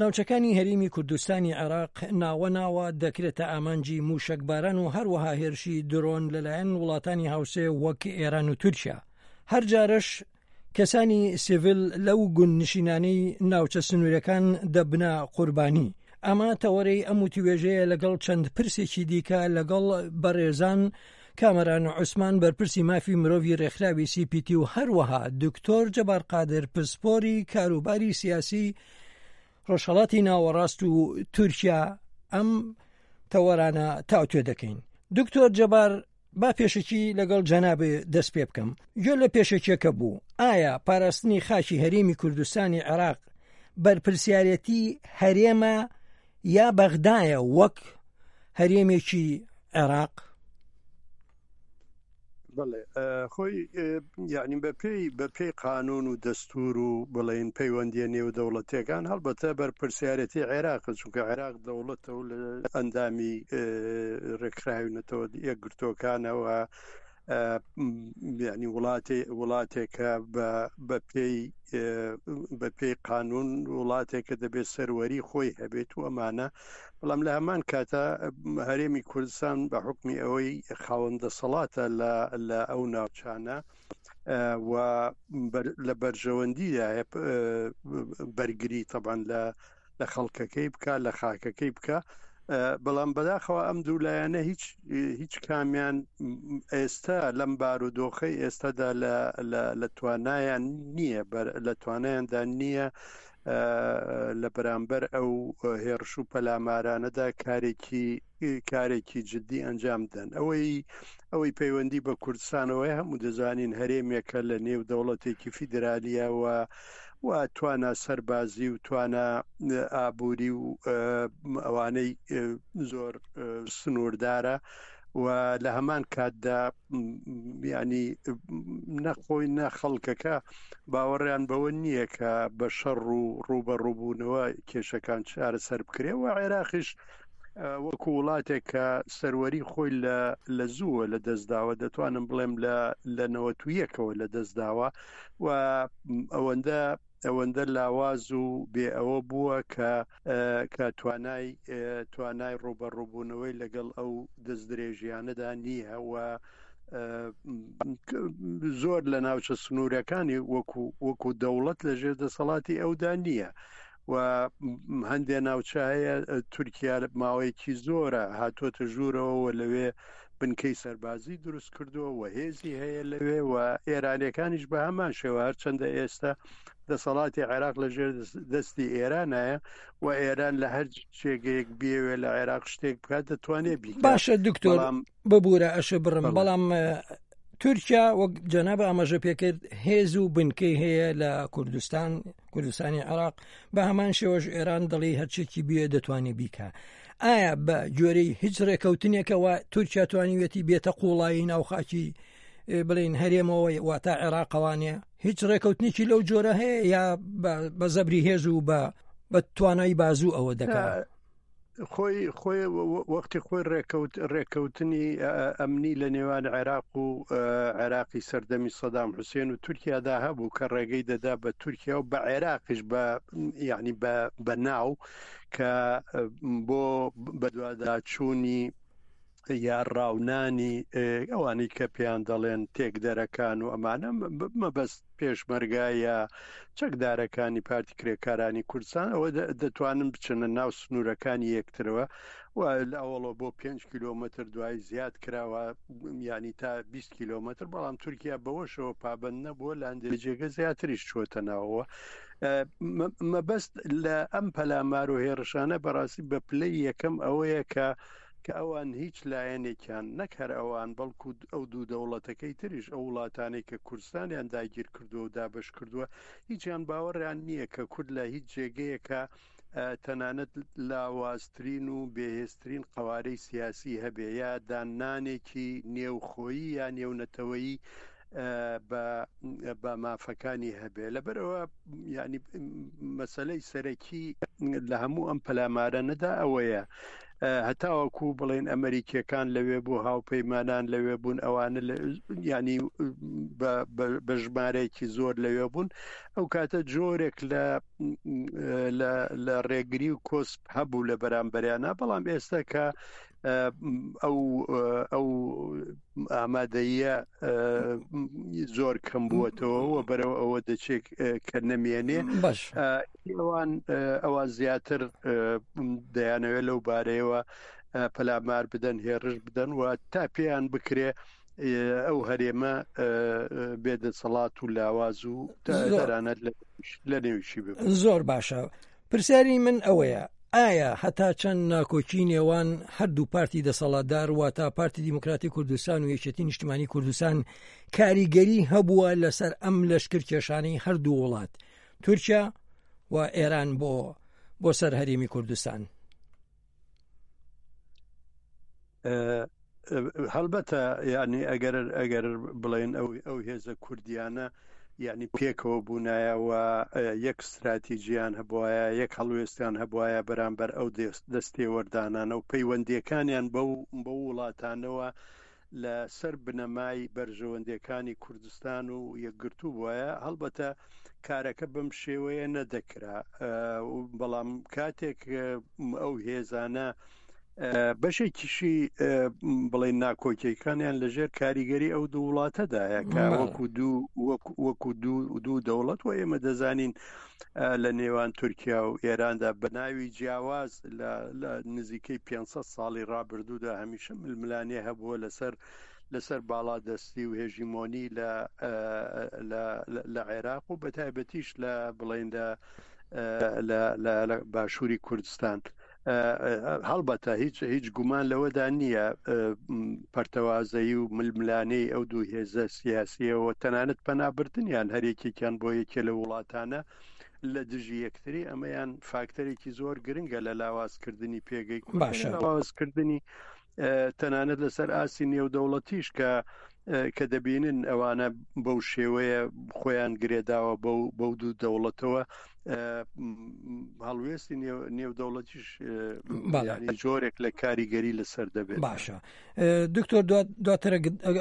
ناوچەکانی هەرێمی کوردستانی عێراق ناوە ناوە دەکرێتە ئامانجی مووشەکباران و هەروەها هێرشی درۆن لەلایەن وڵاتانی هاوسێ وەک ئێران و تورکیا. هەر جارەش کەسانی سیڤیل لەو گوندنشینانەی ناوچە سنوورەکان دەبنە قوربانی. ئەمە تەوەرەی ئەم وتوێژەیە لەگەڵ چەند پرسێکی دیکە لەگەڵ بەڕێزان کامەران عوسمان بەرپرسی مافی مرۆڤی رێکخراوی سی پی تی و هەروەها دکتۆر جەبار قادر پسپۆری کاروباری سیاسی ڕۆژهەڵاتی ناوەڕاست و تورکیا ئەم تەوەرانە تاوتوێ دەکەین. دکتۆر جەبار با پێشەکی لەگەڵ جەنابێ دەست پێ بکەم. گوێ لە پێشەکیەکە بوو. ئایا پاراستنی خاکی هەرێمی کوردستانی عێراق بەرپرسیارێتی هەرێمە یا بەغدایە وەک هەرێمێکی عێراق؟ بەڵێ خۆی یعنی بە پێی بە پێی قانون و دەستور و بڵێن پەیوەندیە نێودەوڵەتیەکان هەڵبەتە بەرپرسیارەتی عێراق چونکە عێراق دەوڵەتە و لە ئەندامی ڕێکخراوی نەتەوە یەکگرتووەکانەوە یعنی وڵاتێ وڵاتێکە بە پێی بە پێی قانون وڵاتێکە دەبێت سەروەری خۆی هەبێت و ئەمانە بەڵام لە هەمان کاتا هەرێمی کوردستان بە حکمی ئەوەی خاوەن دەسەڵاتە لە ئەو ناوچانە و لە بەرژەوەندیدایە بەرگری تەبان لە لە خەڵکەکەی بکە لە خاکەکەی بکە بەڵام بەداخەوە ئەم دوو لایەنە هیچ هیچ کامیان ئێستا لەم بارودۆخەی ئێستادا لە توانایان نییە لە توانایاندا نییە لە بەرامبەر ئەو هێڕش و پەلامارانەدا کارێکی کارێکی جددی ئەنجام بدەن ئەوەی ئەوەی پەیوەندی بە کوردستانەوەی هەموو دەزانین هەرێمێکە لە نێو دەوڵەتێکی فیدرالیەوە و توانا سەربازی و توانا ئابووری و ئەوانەی زۆر سنووردارە و لە هەمان کاتدا ینی نەخۆی نە خەڵکەکە باوەڕیان بەوە نییە کە بە شەڕ و ڕووبەڕووبوونەوە کێشەکان چارەسەر بکرێ و عێراقیش وەکو وڵاتێک کە سەروەری خۆی لە لە زووە لە دەستداوە دەتوانم بڵێم لە لە نەوەتویەکەوە لە دەستداوە و ئەوەندە ئەوەندە لاواز و بێ ئەوە بووە کە کە توانای توانای ڕووبەڕووبوونەوەی لەگەڵ ئەو دەستدرێژیانەدا نییە و زۆر لە ناوچە سنوورەکانی وەکو وەکو دەوڵەت لە ژێر دەسەڵاتی ئەودا نییە و هەندێ ناوچە هەیە تورکیا ماوەیەکی زۆرە هاتووەتە ژوورەوە و لەوێ بنکەی سەربازی دروست کردووە و هێزی هەیە لەوێ و ئێرانەکانیش بە هەمان شێوە هەرچەندە ئێستا دەسەڵاتی عێراق لە ژێر دەستی ئێرانایە و ئێران لە هەر جێگەیەک بێوێ لە عێراق شتێک بکات دەتوانێت بیکات باشە دکتۆر ببوورە ئەشە بڕم بەڵام تورکیا وەک جەناب ئاماژە پێکرد هێز و بنکەی هەیە لە کوردستان کوردستانی عراق بە هەمان شێوەش ئێران دەڵی هەرچێکی بێ دەتوانێت بیکە ئایا بە گوێرەی هیچ ڕێکەوتنێکەوە تورکیا توانیوێتی بێتە قوڵایی ناوخاکی بڵین هەرێمەوە واتە عێراقەوانە هیچ ڕێکەوتنێکی لەو جۆرە هەیە یا بە زەبری هێز و بە بە توانای بازوو ئەوە دەکات خۆی خۆی وەختی خۆی ڕێکەوت ڕێکەوتنی ئەمنی لە نێوان عێراق و عێراقی سەردەمی سەدام حوسێن و تورکیادا هەبوو کە ڕێگەی دەدا بە تورکیا و بە عێراقیش بە یعنی بە بە ناو کە بۆ بەدواداچوونی یا ڕاونانی ئەوانەی کە پێیان دەڵێن تێکدەرەکان و ئەمانە مەبەست پێشمەرگە یا چەکدارەکانی پارتی کرێکارانی کوردستان ئەوە دەتوانن بچنە ناو سنوورەکانی یەکترەوە و لە ئەوڵەوە بۆ 5 کیلۆمەتر دوای زیاد کراوە ینی تا 20 کیلۆمەتر بەڵام تورکیا بەوەشەوە پابند نەبووە لە هەندێک جێگە زیاتریش چووەتە ناوەوە مەبەست لە ئەم پەلامار و هێڕشانە بەڕاستی بە پلەی یەکەم ئەوەیە کە کە ئەوان هیچ لایەنێکیان نەک هەر ئەوان بەڵکو ئەو دوو دەوڵەتەکەی تریش ئەو وڵاتانەی کە کوردستانیان داگیر کردووە و دابەش کردووە هیچیان باوەڕیان نییە کە کورد لە هیچ جێگەیەکە تەنانەت لاوازترین و بێهێزترین قەوارەی سیاسی هەبێ یا داننانێکی نێوخۆیی یا نێونەتەوەیی بە مافەکانی هەبێ لەبەرەوە ینی مەسلەی سەرەکی لە هەموو ئەم پەلامارە نەدا ئەوەیە. هەتاوەکو بڵێن ئەمریکیەکان لەوێ بوو هاوپەیمانان لەوێ بوون ئەوانە ینی بە ژمارەیەکی زۆر لەوێ بوون ئەو کاتە جۆرێک لە لە ڕێگری و کۆسپ هەبوو لە بەرامبەریانە بەڵام ئێستا کە ئەو ئەو ئامادەیە زۆر کەم بووەتەوە و بەرەو ئەوە دەچێت کە نەمێنێ باش ئەوان ئەوان زیاتر دەیانەوێت لەو بارەیەوە پەلامار بدەن هێڕش بدەن و تا پێیان بکرێ ئەو هەرێمە بێدەسەڵات و لاواز و تەنانەت لە نێویشی ببن. زۆر باشە پرسیاری من ئەوەیە ئایا هەتا چەند ناکۆکی نێوان هەردوو پارتی دەسەڵاتدار واتە پارتی دیموکراتی کوردستان و یەکێتی نیشتمانی کوردستان کاریگەری هەبووە لەسەر ئەم لەشکر کێشانەی هەردوو وڵات تورکیا و ئێران بۆ بۆ سەر هەرێمی کوردستان؟ هەڵبەتە یعنی ئەگەر ئەگەر بڵێن ئەو ئەو هێزە کوردیانە یعنی پێکەوە بوونایە و یەک استراتیجیان هەبواە یەک هەڵوێستیان هەبواە بەرامبەر ئەو دەستێوەردانانە و پەیوەندیەکانیان بەو بەو وڵاتانەوە لە سەر بنەمای بەرژەوەندیەکانی کوردستان و یەکگرتوو بوایە هەڵبەتە کارەکە بەم شێوەیە نەدەکرا بەڵام کاتێک ئەو هێزانە بەشێکیشی بڵێن ناکۆکیەکانیان لەژێر کاریگەری ئەو دوو وڵاتەدایە کە وەکو دوو وەکو دوو دوو دەوڵەت و ئێمە دەزانین لە نێوان تورکیا و ئێراندا بە ناوی جیاواز لە نزیکەی 500 ساڵی ڕابردوودا هەمیشە ململانێ هەبووە لەسەر لەسەر باڵادەستی و هێژیمۆنی لە لە عێراق و بەتایبەتیش لە بڵێن لە لە باشووری کوردستان. هەڵبەتە هیچ هیچ گومان لەوەدا نییە پەرتەوازەیی و ململانێی ئەو دوو هێزە سیاسیەوە تەنانەت پەنابردنیان هەرێکێکیان بۆ یەکێ لە وڵاتانە لە دژی یەکتری ئەمەیان فاکتەرێکی زۆر گرنگە لە لاوازکردنی پێگەی باشە لاوازکردنی تەنانەت لەسەر ئاستی نێودەوڵەتیش کە کە دەبینن ئەوانە بەو شێوەیە خۆیان گرێداوە بەو بەو دوو دەوڵەتەوە هەڵوێستی نێودەوڵەتیش جۆرێک لە کاریگەری لەسەر دەبێت باشە دکتۆر دواتر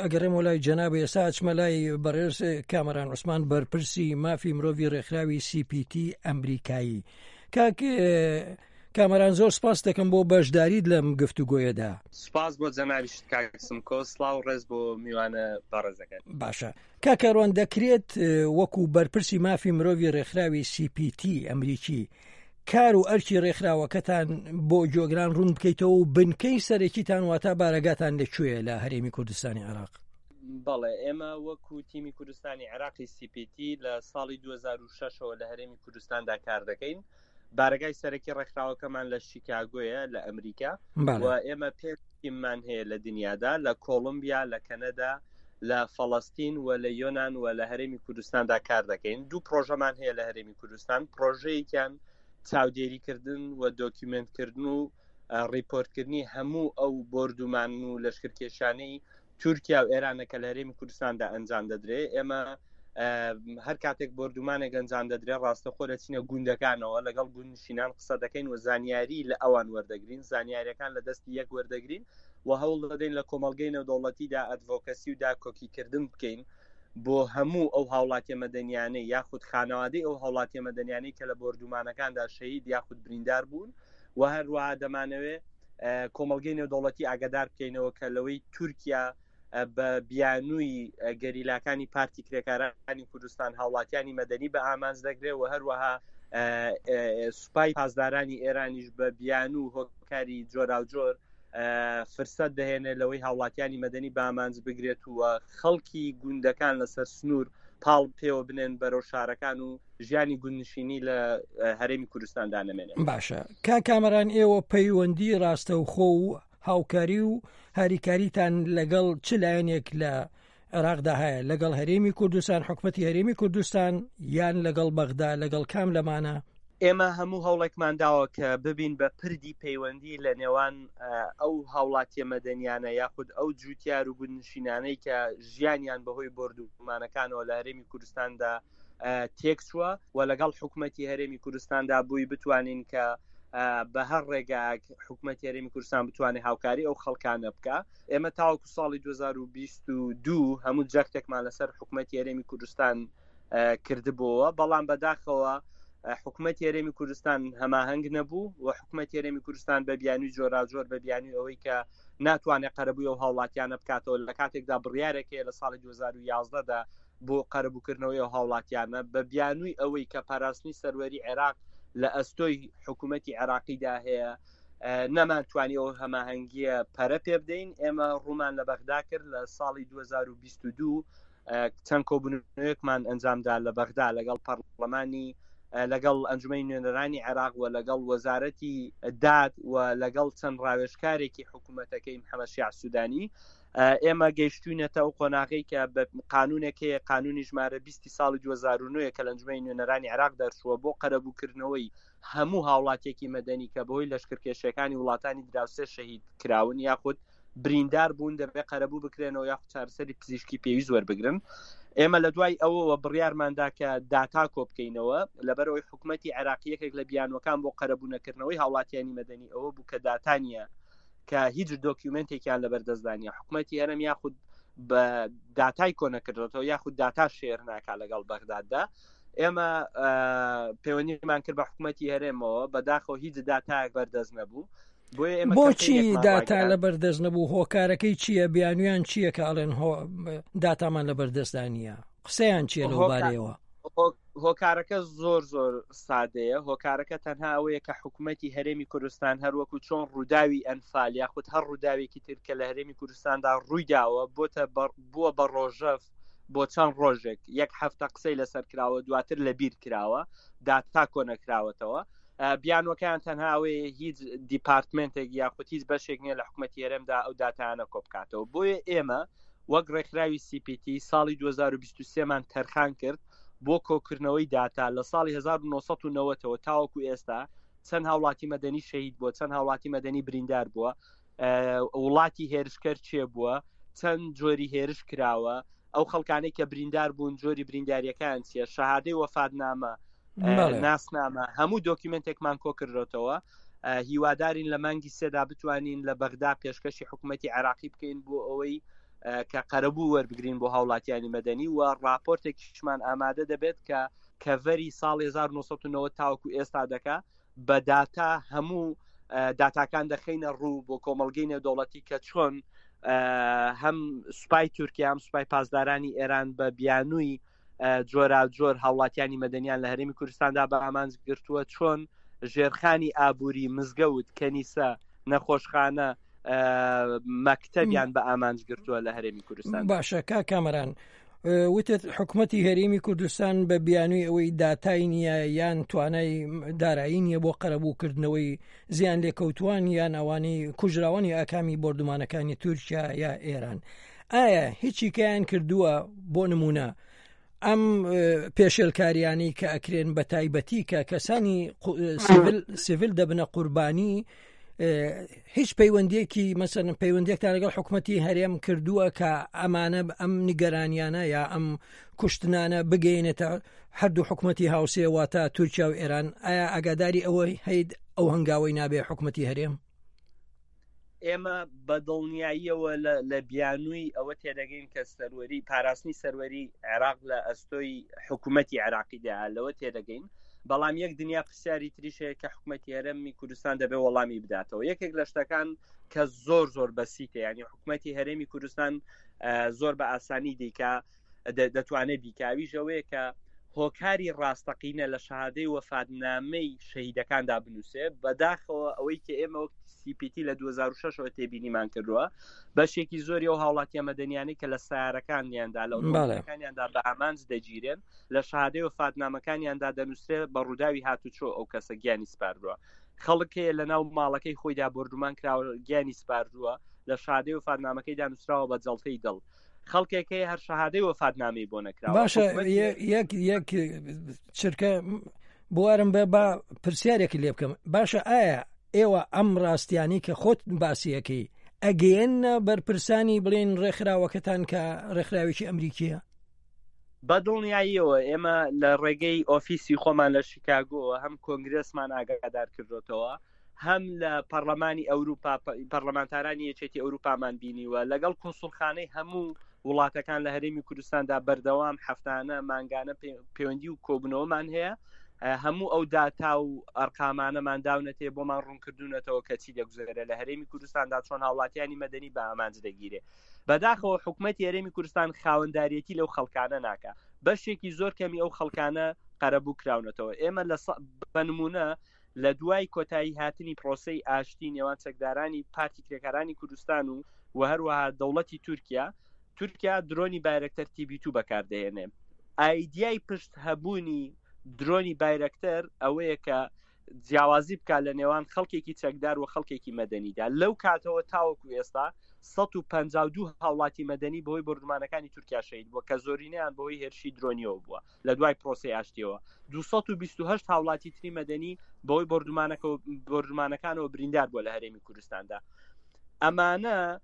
ئەگەڕێمەوە لای جەناب ئێستا ئەچمە لای بەڕێز کامەران عوسمان بەرپرسی مافی مرۆڤی ڕێکخراوی CPT ئەمریکایی کاک کامەران زۆر سپاس دەکەم بۆ بەشداریت لەم گفتوگۆیەدا. سپاس بۆ جەنابیشت کاک سمکۆ، سڵاو و ڕێز بۆ میوانە بەڕێزەکەت. باشە کاک کاروان دەکرێت وەکو بەرپرسی مافی مرۆڤی ڕێکخراوی سی پی تی ئەمریکی کار و ئەرکی ڕێکخراوەکەتان بۆ گوێگران ڕوون بکەیتەوە و بنکەی سەرەکیتان واتا بارەگاتان لە کوێیە لە هەرێمی کوردستانی عێراق؟ بەڵێ ئێمە وەکو تیمی کوردستانی عێراقی سی پی تی لە ساڵی 2006ەوە لە هەرێمی کوردستاندا کار دەکەین. بارەگای سەرەکی ڕێکخراوەکەمان لە شیکاگۆیە لە ئەمریکا و ئێمە پێ تیممان هەیە لە دنیادا لە کۆڵمبیا لە کەنەدا لە فەڵەستین و لە یۆناان و لە هەرێمی کوردستاندا کار دەکەین دوو پرۆژەمان هەیە لە هەرێمی کوردستان پرۆژەیەکیان چاودێریکردن و دۆکیومنتکردن و ڕیپۆرتکردنی هەموو ئەو بۆردومان و لەشکرکێشانەی تورکیا و ئێرانە کە لە هەرێمی کوردستاندا ئەنجام دەدرێ ئێمە هەر کاتێک بۆردومانێک ئەنجام دەدرێ ڕاستەخۆ دەچینە گوندەکانەوە لەگەڵ گوندنشینان قسە دەکەین و زانیاری لە ئەوان وەردەگرین زانیاریەکان لە دەستی یەک وەردەگرین و هەوڵ دەدەین لە کۆمەڵگەی نێودەوڵەتیدا ئەدڤۆکەسی و داکۆکیکردن بکەین بۆ هەموو ئەو هاوڵاتیە مەدەنیانەی یاخود خانەوادەی ئەو هاوڵاتیە مەدەنیانەی کە لە بۆردومانەکاندا شەهید یاخود بریندار بوون و هەروەها دەمانەوێت کۆمەڵگەی نێودەوڵەتی ئاگادار بکەینەوە کە لەوەی تورکیا بە بیانووی گەریلاکانی پارتی کرێکارانی کوردستان هاوڵاتیانی مەدەنی بە ئامانج دەگرێت و هەروەها سوپای پاسدارانی ئێرانیش بە بیانوو هۆکاری جۆراوجۆر فرسەت دەهێنێت لەوەی هاوڵاتیانی مەدەنی بە ئامانج بگرێت و خەڵکی گوندەکان لەسەر سنوور پاڵ پێوە بنێن بەرەو شارەکان و ژیانی گوندنشینی لە هەرێمی کوردستاندا نەمێنێت. باشە کاک کامەران ئێوە پەیوەندی ڕاستەوخۆ و هاوکاری و هاریکاریتان لەگەڵ چ لایەنێک لە عێراقدا هەیە لەگەڵ هەرێمی کوردستان حکومەتی هەرێمی کوردستان یان لەگەڵ بەغدا لەگەڵ کام لەمانە؟ ئێمە هەموو هەوڵێکمان داوە کە ببین بە پردی پەیوەندی لە نێوان ئەو هاوڵاتیە مەدەنیانە یاخود ئەو جوتیار و گوندنشینانەی کە ژیانیان بەهۆی بۆردومانەکانەوە لە هەرێمی کوردستاندا تێکچووە و لەگەڵ حکومەتی هەرێمی کوردستاندا بووی بتوانین کە. بە هەر ڕێگایەک حکوومەت هەرێمی کوردستان بتوانێت هاوکاری ئەو خەڵکانە بکە ئێمە تاوەکو ساڵی 2022 هەموو جەختێکمان لەسەر حکوومەت هەرێمی کوردستان کردبووەوە بەڵام بەداخەوە حکوومەت هەرێمی کوردستان هەماهەنگ نەبوو و حکوومەت هەرێمی کوردستان بە بیانوی جۆراجۆر بە بیانوی ئەوەی کە ناتوانێت قەرەبووی ئەو هاوڵاتیانە بکاتەوە لە کاتێکدا بڕیارێک هەیە لە ساڵی 2011 دا بۆ قەرەبووکردنەوەی ئەو هاوڵاتیانە بە بیانووی ئەوەی کە پاراستنی سەروەری عێراق لە ئەستۆی حکوومەتی عێراقیدا هەیە نەمانتوانی ئەو هەماهەنگیە پەرە پێ بدەین ئێمە ڕوومان لە بەغدا کرد لە ساڵی 2022 چەند کۆبوونەوەیەکمان ئەنجامدا لە بەغدا لەگەڵ پەرلەمانی لەگەڵ ئەنجومەنی نوێنەرانی عێراق و لەگەڵ وەزارەتی داد و لەگەڵ چەند ڕاوێژکارێکی حکوومەتەکەی محەممەد شیاع سوودانی ئێمە گەیشتوینەتە ئەو قۆناغەی کە بە قانونێک هەیە قانونی ژمارە 20 ساڵی 2009 کە لە ئەنجومەنی نوێنەرانی عێراق دەرچووە بۆ قەرەبووکردنەوەی هەموو هاوڵاتیەکی مەدەنی کە بەهۆی لەشکرکێشیەکانی وڵاتانی دراوسێ شەهید کراون یاخود بریندار بوون دەبێت قەرەبوو بکرێنەوە یاخود چارەسەری پزیشکی پێویست وەربگرن ئێمە لە دوای ئەوەوە بڕیارماندا کە داتا کۆ بکەینەوە لەبەرەوەی حکوومەتی عێراقی یەکێک لە بیانوەکان بۆ قەرەبوو نەکردنەوەی هاوڵاتیانی مەدەنی ئەوە بوو کە داتا نییە کە هیچ دۆکیومنتێکیان لەبەر دەستدا نییە حکوومەتی هەرێم یاخود بە داتای کۆ نەکردێتەوە یاخود داتا share ناکا لەگەڵ بەغداددا ئێمە پەیوەندیمان کرد بە حکوومەتی هەرێمەوە بەداخەوە هیچ داتایەک بەردەست نەبوو بۆچی داتا لە بەردەست نەبوو هۆکارەکەی چییە بیانویان چییە کە ئەڵێن داتامان لە بەردەستدا نییە قسەیان چییە لەو بارەیەوە؟ هۆکارەکە زۆر زۆر سادەیە هۆکارەکە تەنها ئەوەیە کە حکوومەتی هەرێمی کوردستان هەروەکو چۆن ڕووداوی ئەنفال یاخود هەر ڕووداوێکی تر کە لە هەرێمی کوردستاندا ڕوویداوە بۆتە بووە بە ڕۆژەف بۆ چەند ڕۆژێک یەک هەفتە قسەی لەسەر کراوە دواتر لە بیر کراوە داتا کۆنەکراوەتەوە بیانوەکەیان تەنها ئەوەیە هیچ دیپارتمنتێک یاخود هیچ بەشێک نییە لە حکوومەتی هەرێمدا ئەو داتایانە کۆبکاتەوە بۆیە ئێمە وەک ڕێکخراوی CPT ساڵی 2023 مان تەرخان کرد بۆ کۆکردنەوەی داتا لە ساڵی 1990ەوە تاوەکو ئێستا چەند هاوڵاتی مەدەنی شەهید بووە چەند هاوڵاتی مەدەنی بریندار بووە وڵاتی هێرشکەر چێ بووە چەند جۆری هێرش کراوە ئەو خەڵکانەی کە بریندار بوون جۆری برینداریەکان چیە شەهادەی وەفاتنامە ناسنامە هەموو دۆکیومنتێکمان کۆکردێتەوە هیوادارین لە مانگی سێدا بتوانین لە بەغدا پێشکەشی حکوومەتتی عێراقی بکەین بۆ ئەوەی کە قەرەبوو وەربگرین بۆ هاوڵاتیانی مەدەنی و راپۆرتێکیشمان ئامادە دەبێت کە کەڤەری ساڵ 1990 تاوەکو ئێستا دەکا بە داتا هەموو داتاکان دەخەینە ڕوو بۆ کۆمەڵگەی نێودەوڵەتی کە چۆن هەم سوپای تورکیا هەم سوپای پاسدارانی ئێران بە بیانووی جۆراوجۆر هاوڵاتیانی مەدەنیان لە هەرێمی کوردستاندا بە ئامانج گرتووە چۆن ژێرخانی ئابووری مزگەوت کەنیسە نەخۆشخانە مەکتەبیان بە ئامانج گرتووە لە هەرێمی کوردستان باشە کا کامەران وتت حکومەتی هەرێمی کوردستان بە بیانووی ئەوەی داتای نییە یان توانای دارایی نییە بۆ قەرەبووکردنەوەی زیان لێکەوتوان یان ئەوانەی کوژراوانی ئاکامی بۆردومانەکانی تورکیا یا ئێران ئایا هیچیکەیان کردووە بۆ نمونە ئەم پێشێلکاریانەی کە ئەکرێن بە تایبەتی کە کەسانی سیڤل دەبنە قوربانی هیچ پەیوەندیەکی مەسەن پەیوەندێکتان لەگەڵ حکوومەتتی هەرێم کردووە کە ئەمانە ئەم نیگەرانیانە یا ئەم کوشتنانە بگەینێتە هەردوو حکوومەتتی هاوسێ واتە تورکیا و ئێران ئایا ئاگاداری ئەوەی هەیت ئەو هەنگاوەی نابێ حکوومەتتی هەرێم؟ ئێمە بە دڵنیاییەوە لە بیانووی ئەوە تێدەگەین کە سەروەری پاراستنی سەروەری عێراق لە ئەستۆی حکوومەتی عێراقیدا لەوە تێدەگەین بەڵام یەک دنیا پرسیاری تریش هەیە کە حکوومەتی هەرێمی کوردستان دەبێ وەڵامی بداتەوە یەکێک لە شتەکان کە زۆر زۆر بەسیتە ینی حکوومەتی هەرێمی کوردستان زۆر بە ئاسانی دیکە دەتوانێت بیکا ئەویش ئەوەیە کە هۆکاری ڕاستەقینە لە شەهادەی وەفاتنامەی شەهیدەکاندا بنووسێ بەداخەوە ئەوەی کە ئێمە وەک CPT لە 2006ەوە تێبینیمان کردووە بەشێکی زۆری ئەو هاوڵاتیە مەدەنیانەی کە لە سیارەکانیاندا لە ئۆتۆمبیلەکانیاندا بە ئامانج دەگیرێن لە شەهادەی وەفاتنامەکانیاندا دەنووسرێ بە ڕووداوی هاتوچۆ ئەو کەسە گیانی سپاردووە خەڵک هەیە لە ناو ماڵەکەی خۆیدا بۆردومان کراوە گیانی سپاردووە لە شادەی وەفاتنامەکەیدا نووسراوە بە جەڵتەی دڵ خەڵکێک هەیە هەر شەهادەی وەفاتنامەی بۆ نەکراوە باشە یەک یەک چرکە بوارم بە با پرسیارێکی لێ بکەم باشە ئایا ئێوە ئەم ڕاستیانی کە خۆت باسیەکەی ئەگەیەنە بەرپرسانی بڵێن ڕێکخراوەکەتان کە ڕێکخراوێکی ئەمریکیە؟ بە دڵنیاییەوە ئێمە لە ڕێگەی ئۆفیسی خۆمان لە شیکاگۆوە هەم کۆنگرێسمان ئاگادار کردۆتەوە، هەم لە پەڕلەمانی ئەوروپا پەڕلەمانتارانی یەکێتی ئەوروپامان بینیوە، لەگەڵ کونسوڵخانەی هەموو وڵاتەکان لە هەرێمی کوردستاندا بەردەوام هەفتانە مانگانە پەیوەندی و کۆبوونەوەمان هەیە، هەموو ئەو داتا و ئەرقامانەمان داونەتێ بۆمان ڕوونکردوونەتەوە کە چی دەگوزەرێ لە هەرێمی کوردستاندا چۆن هاوڵاتیانی مەدەنی بە ئامانج دەگیرێ. بەداخەوە حکومەتی هەرێمی کوردستان خاوەنداریەتی لەو خەڵکانە ناکا بەشێکی زۆر کەمی ئەو خەڵکانە قەرەبوو کراونەتەوە ئێمە لە بە نمونە لە دوای کۆتایی هاتنی پرۆسەی ئاشتی نێوان چەکدارانی پارتی کرێکارانی کوردستان و و هەروەها دەوڵەتی تورکیا تورکیا درۆنی بایرەکتەر تیبی تو بەکاردەهێنێ ئایدیای پشت هەبوونی درۆنی بایرەکتەر ئەوەیە کە جیاوازی بکات لە نێوان خەڵکێکی چەکدار و خەڵکێکی مەدەنیدا. لەو کاتەوە تاوەکو ئێستا 152 هاوڵاتی مەدەنی بەهۆی بۆردومانەکانی تورکیا شەهید بووە کە زۆرینەیان بەهۆی هێرشی درۆنیەوە بووە لە دوای پرۆسەی ئاشتیەوە 228 هاوڵاتی تری مەدەنی بەهۆی بۆردومانەکانەوە بریندار بووە لە هەرێمی کوردستاندا. ئەمانە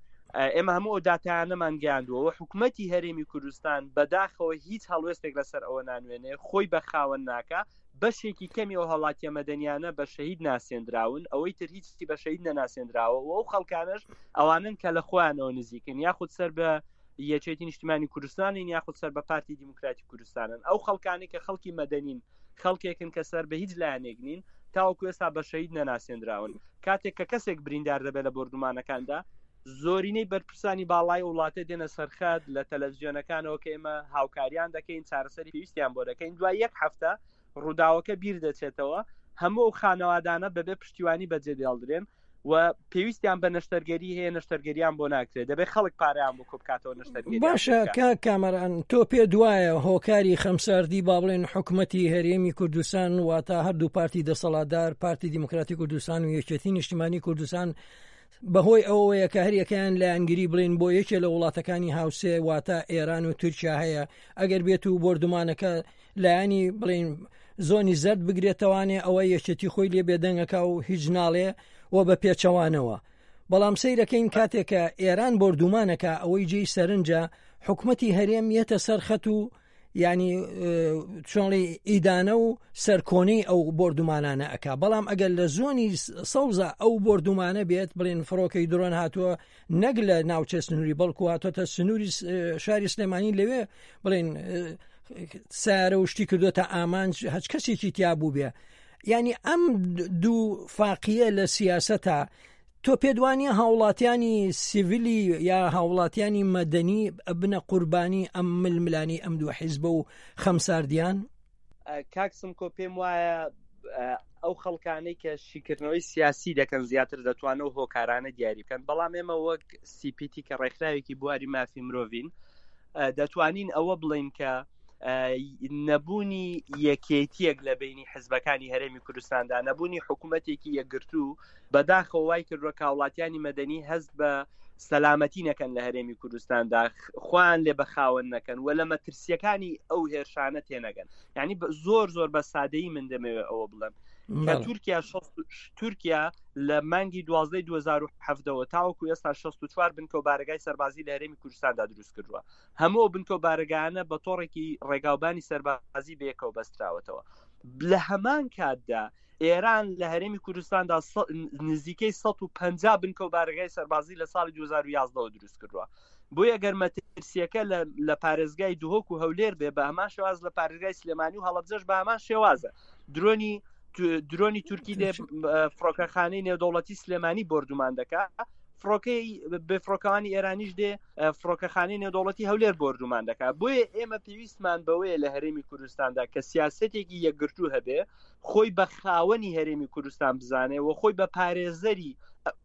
ئێمە هەموو ئەو داتایانەمان گەیاندووە حکومەتی هەرێمی کوردستان بەداخەوە هیچ هەڵوێستێک لەسەر ئەوە نانوێنێ خۆی بە خاوەن ناکا بەشێکی کەمی ئەو هاوڵاتیە مەدەنیانە بە شەهید ناسێندراون، ئەوەی تر هیچی بە شەهید نەناسێندراوە و ئەو خەڵکانەش ئەوانەن کە لە خۆیانەوە نزیکن یاخود سەر بە یەکێتی نیشتیمانی کوردستانین یاخود سەر بە پارتی دیموکراتی کوردستانن ئەو خەڵکانی کە خەڵکی مەدەنین خەڵکێکن کە سەر بە هیچ لایەنێک نین تاوەکو ئێستا بە شەهید نەناسێندراون کاتێک کە کەسێک بریندار دەبێت لە بۆردومانەکاندا زۆرینەی بەرپرسانی باڵای وڵاتە دێنە سەرخەت لە تەلەڤزیۆنەکانەوە کە ئێمە هاوکاریان دەکەین چارەسەری پێویستیان بۆ دەکەین دوای یەک هەفتە ڕووداوەکە بیر دەچێتەوە هەموو ئەو خانەوادانە بەبێ پشتیوانی بەجێ دێڵدرێن و پێویستیان بە نەشتەرگەری هەیە نەشتەرگەریان بۆ ناکرێت دەبێت خەڵک پارەیان بۆ کۆبکاتەوە نەشتەرگەری باشە کاک کامەران تۆ پێ دوایە هۆکاری خەمساردی با بڵێن حکومەتی هەرێمی کوردستان واتە هەردوو پارتی دەسەڵاتدار پارتی دیموکراتی کوردستان و یەکێتی نیشتیمانی کوردستان بەهۆی ئەوەیە کە هەریەکەیان لایەنگری بڵێن بۆ یەکێ لە وڵاتەکانی هاوسێ واتە ئێران و تورکیا هەیە ئەگەر بێت و بۆردومانەکە لایەنی بڵین زۆنی زەرد بگرێتەوانێ ئەوە یەکێتی خۆی لێ بێدەنگەکە و هیچ ناڵێ و بە پێچەوانەوە بەڵام سەیرەکەین کاتێکە ئێران بۆردومانەکە ئەوەی جێی سەرنجە حکومەتی هەرێم یەتە سەر خەت و ینی چۆنڵی ئیدانە و سەرکۆنەی ئەو بۆردومانانە ئەک بەڵام ئەگەر لە زۆنی سەوزە ئەو بۆردومانە بێت بڵێن فڕۆکەی درۆن هاتووە نەک لە ناوچە سنووری بەڵکو هاتۆتە سنووری شاری سلێمانی لەوێ بڵێن سارە و شتی کردوتە ئامانج هەچ کەسێکی تیا بوو بێ ینی ئەم دوو فاقیە لە سیاسەتە تۆ پێت وانیە هاوڵاتیانی سیڤیلی یا هاوڵاتیانی مەدەنی ئەبنە قوربانی ئەم ململانی ئەم دوو حیزبە و خەمساردیان؟ کاک سمکۆ پێم وایە ئەو خەڵکانەی کە شیکردنەوەی سیاسی دەکەن زیاتر دەتوانن ئەو هۆکارانە دیاری بکەن بەڵام ئێمە وەک سیپیتی کە ڕێکخراوێکی بواری مافی مرۆڤین دەتوانین ئەوە بڵین کە نەبوونی یەکێتیەک لە بینی حزبەکانی هەرێمی کوردستاندا نەبوونی حکوومەتێکی یەکگرتوو بەداخەوە وای کردووە کە هاوڵاتیانی مەدەنی هەست بە سەلامەتی نەکەن لە هەرێمی کوردستاندا خۆیان لێ بە خاوەن نەکەن و لە مەترسیەکانی ئەو هێرشانە تێنەگەن یعنی زۆر زۆر بە سادەیی من دەمەوێت ئەوە بڵێم کە تورکیا تورکیا لە مانگی دوازدەی 2017ەوە تاوەکو ئێستا 64 بنکە و بارەگای سەربازی لە هەرێمی کوردستاندا دروست کردووە هەموو بنکە و بارەگانە بە تۆڕێکی ڕێگاوبانی سەربازی بەیەکەوە بەستراوەتەوە لە هەمان کاتدا ئێران لە هەرێمی کوردستاندا نزیکەی 150 بنکە و بارەگای سەربازی لە ساڵی 2011ەوە دروست کردووە بۆیە گەر مەترسیەکە لە پارێزگای دهۆک و هەولێر بێ بە هەمان شێواز لە پارێزگای سلێمانی و هەڵەبجەش بە هەمان شێوازە درۆنی درۆنی تورکی دێ فڕۆکەخانەی نێودەوڵەتی سلێمانی بۆردومان دەکا فڕۆکەی بێفڕۆکەوانی ئێرانیش دێ فڕۆکەخانەی نێودەوڵەتی هەولێر بۆردومان دەکات بۆیە ئێمە پێویستمان بەوەیە لە هەرێمی کوردستاندا کە سیاستێکی یەکگرتوو هەبێ خۆی بە خاوەنی هەرێمی کوردستان بزانێ و خۆی بە پارێزەری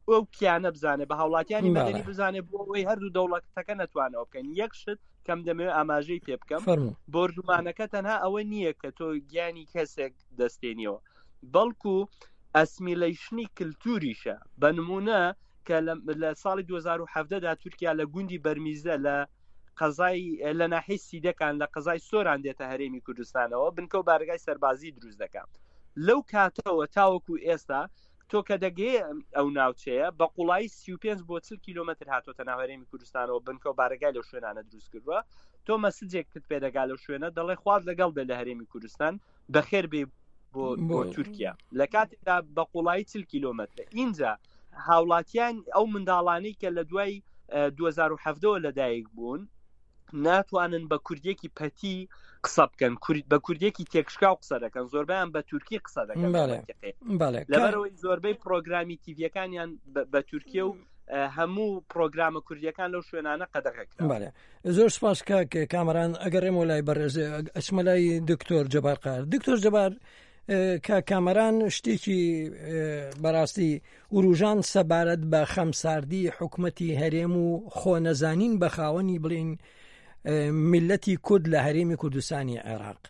ئەو کیانە بزانێ بە هاوڵاتیانی مەدەنی بزانێ بۆ ئەوەی هەردوو دەوڵەتەکە نەتوانەوە بکەن یەک شت کەم دەمەوێت ئاماژەی پێ بکەم بۆردومانەکە تەنها ئەوە نییە کە تۆ گیانی کەسێک دەستێنیەوە بەڵکو ئەسمیلەیشنی کللتوریشە بە نمونە کە لە ساڵی 2017 دا تورکیا لە گوندی بەرمیزە لە قەزای لە ناحیەی سیدەکان لە قەزای سۆران دێتە هەرێمی کوردستانەوە بنکە و بارەگای سەربازی دروست دەکات لەو کاتەوە تاوەکو ئێستا. تۆ کە دەگەیە ئەو ناوچەیە بە قوڵایی 35 بۆ 40 کیلومتر هاتۆتە ناو هەرێمی کوردستانەوە بنکە و بارەگای لەو شوێنانە دروست کردووە تۆ مەسجێکت پێدەگا لەو شوێنە دەڵێ خوارد لەگەڵ بێ لە هەرێمی کوردستان بەخێر بێ بۆ بۆ تورکیا لە کاتێکدا بە قوڵایی 40 کیلومتر ئینجا هاوڵاتیان ئەو منداڵانەی کە لە دوای 2017 لەدایک بوون ناتوانن بە کوردیەکی پەتی قسە بکەن کورد بە کوردیەکی تێکشکاو قسە دەکەن زۆربیان بە تورکی قسە دەکەن لەبەرەوەی زۆربەی پرۆگرامی تیڤەکانیان بە تورکیە و هەموو پرۆگرامە کوردیەکان لەو شوێنانە قەدەغە کرا زۆر سپاس کاک کامەران ئەگەڕێمەوە لای بەڕێز ئەچمە لای دکتۆر جەبار قار دکتۆر جەبار کە کامەران شتێکی بەڕاستی وروژان سەبارەت بە خەمساردی حکومەتی هەرێم و خۆنەزانین بە خاوەنی بڵین میلەتی کورد لە هەرێمی کوردستانی عێراق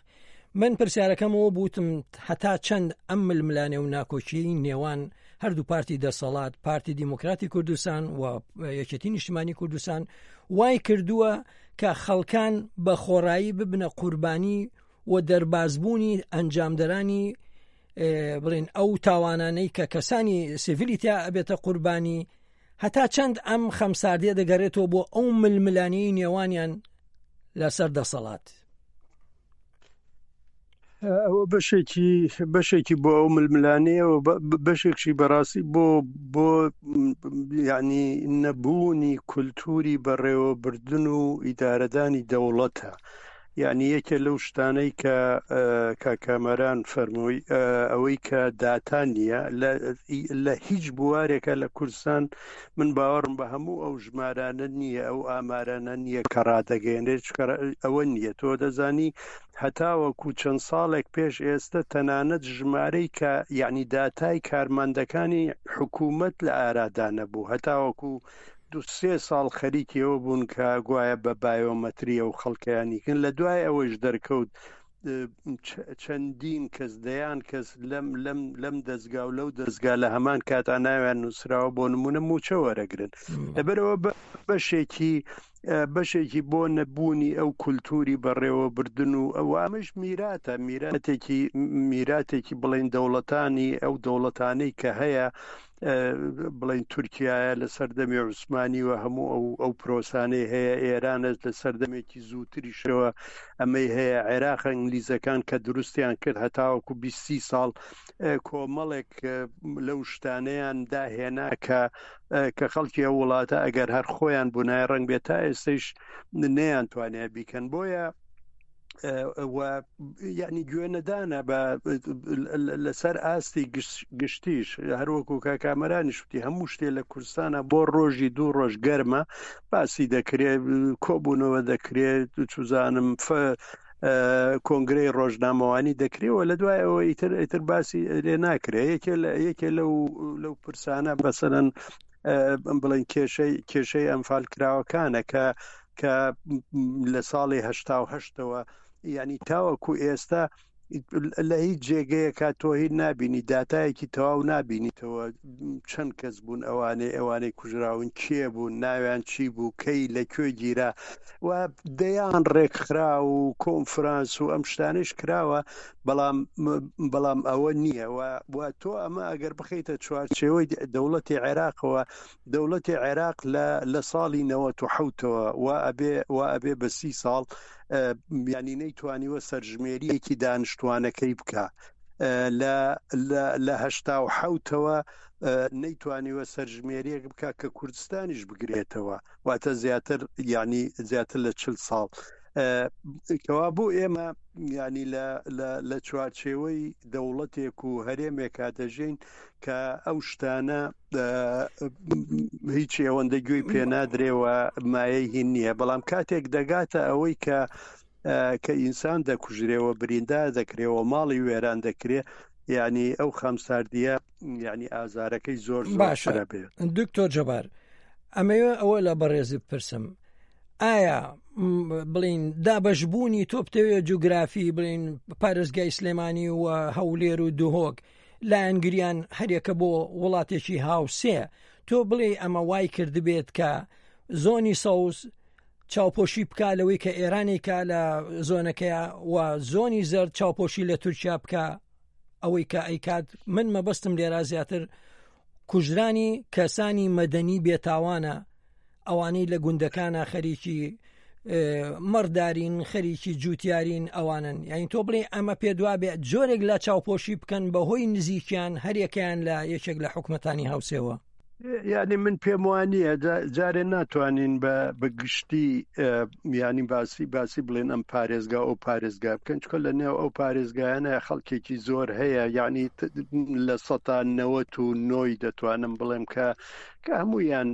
من پرسیارەکەمەوە بوتم هەتا چەند ئەم ململانێ و ناکۆکی نێوان هەردوو پارتی دەسەڵات پارتی دیموکراتی کوردستان و یەکێتی نیشتمانی کوردستان وای کردووە کە خەڵکان بە خۆڕایی ببنە قوربانی و دەربازبوونی ئەنجامدەرانی بڵێن ئەو تاوانانەی کە کەسانی سیڤیلی تیا ئەبێتە قوربانی هەتا چەند ئەم خەمساردیە دەگەرێتەوە بۆ ئەو ململانێی نێوانیان لەسەر دەسەڵات؟ ئەوە بەشێکی بەشێکی بۆ ئەو ململانەیە و بەشێکشی بەڕاستی بۆ بۆ یعنی نەبوونی کولتوری بەڕێوەبردن و ئیدارەدانی دەوڵەتە یعنی یەکێ لەو شتانەی کە کاک کامەران فەرمووی ئەوەی کە داتا نییە لە هیچ بوارێکە لە کوردستان من باوەڕم بە هەموو ئەو ژمارانە نییە ئەو ئامارانە نییە کە ڕادەگەێنێت ئەوە نییە تۆ دەزانی هەتاوەکو چەند ساڵێک پێش ئێستە تەنانەت ژمارەی کە یعنی داتای کارمەندەکانی حکوومەت لە ئارادا نەبوو هەتاوەکو دو سێ ساڵ خەریکی ئەوە بوون کە گوایە بە بایۆمەتری ئەو خەڵکەیانی کەن لە دوای ئەوەیش دەرکەوت چەندین کەس دەیان کەس لەم لەم لەم دەستگا و لەو دەستگا لە هەمان کاتا ناویان نووسراوە بۆ نمونە موچە وەرەگرن لەبەرەوە بەشێکی بەشێکی بۆ نەبوونی ئەو کولتوری بەڕێوەبردن و ئەو ئەمەش میراتە میراتێکی میراتێکی بڵین دەوڵەتانی ئەو دەوڵەتانەی کە هەیە بڵین تورکایە لە سەردەمی عوسمانی و هەموو ئەو ئەو پرۆسانەی هەیە ئێرانە لە سەردەمێکی زووتریشەوە ئەمەی هەیە عێراق ئینگلیزەکان کە دروستیان کرد هەتاوەکو 20 ساڵ کۆمەڵێک لەو شتانەیان داهێنا کە کە خەڵکی ئەو وڵاتە ئەگەر هەر خۆیان بوونایە ڕەنگ بێت تا ئێستەیش نەیان توانێ بیکەن بۆیە و یعنی گوێ نەدانە بە لەسەر ئاستی گشتیش هەروەکو کاکامەرانی شتی هەموو شتێ لە کوردستانە بۆ ڕۆژی دوو ڕۆژ گەرمە باسی دەکرێت کۆبوونەوە دەکرێت چزانم کۆنگرەی ڕۆژنامەوانی دەکرێەوە لە دوای ئەوە ئیتر ئیتر باسی لێ ناکرێ یەکێ لە یەکێ لەو لەو پرسانە بەسەرەن بڵێن کێشەی کێشەی ئەمفال کراوەکانە کە کە لە ساڵی هەشتا و هەشتەوە یعنی تاوەکو ئێستا لە هیچ جێگەیەکە تۆ هیچ نابینی داتایەکی تەواو نابینیتەوە چەند کەس بوون ئەوانەی ئەوانەی کوژراون کێ بوون ناویان چی بوو کەی لە کوێ گیرا و دەیان ڕێکخرا و کۆنفرانس و ئەم شتانش کراوە بەڵام بەڵام ئەوە نییە و تۆ ئەمە ئەگەر بخیتە چوارچێوەی دەوڵەتی عێراقەوە دەوڵەتی عێراق لە لە ساڵی 1970ەوە و ئەبێ و ئەبێ بە سی ساڵ ینی نەیتوانیوە سەرژمێریەکی دانیشتوانەکەی بکە لە لە هەشتا و حوتەوە نەیتوانیوە سەرژمێریەک بکە کە کوردستانیش بگرێتەوە واتە زیاتر یعنی زیاتر لە چل ساڵ کەوا بۆ ئێمە ینی لە چوارچێوەی دەوڵەتێک و هەرێمێکا دەژین کە ئەو شتانە هیچ ئەوەندە گوێی پێ نادرێەوە مایەی هین نییە بەڵام کاتێک دەگاتە ئەوەی کە کە ئینسان دەکوژرێەوە بریندار دەکرێەوە ماڵی وێران دەکرێ یعنی ئەو خەمساردیە یعنی ئازارەکەی زۆر باشە دکتۆر جەبار ئەمەوێ ئەوە لە بەڕێزی بپرسم ئایا بڵین دابەشبوونی تۆ بتەوێ جوگرافی بڵین پارێزگای سلێمانی و هەولێر و دهۆک لایەنگریان هەرێکە بۆ وڵاتێکی هاوسێ تۆ بڵێ ئەمە وای کردبێت کە زۆنی سەوز چاوپۆشی بک لەوەی کە ئێرانێکە لە زۆنەکەیە و زۆنی زەرد چاوپۆشی لە تورکیا بکە ئەوەی کە ئەیکات من مەبەستم لێرا زیاتر. کوژرانی کەسانی مەدەنی بێتاوانە ئەوانەی لە گوندەکانە خەریکی مەڕدارین خەریکی جوتیارین ئەوانن یعنی تۆ بڵێ ئەمە پێدوا بێ جۆرێک لە چاوپۆشی بکەن بەهۆی نزیکیان هەریەکەیان لە یەکێک لە حکومەتانی هاوسێوە. یعنی من پێم وانە جارێ ناتوانین بە بە گشتی ینی باسی باسی بڵێن ئەم پارێزگا ئەو پارێزگا بکەن چکە لە نێو ئەو پارێزگایانە خەڵکێکی زۆر هەیە یعنی لە سەتا نەوەت و نۆی دەتوانم بڵێم کە کە هەموویان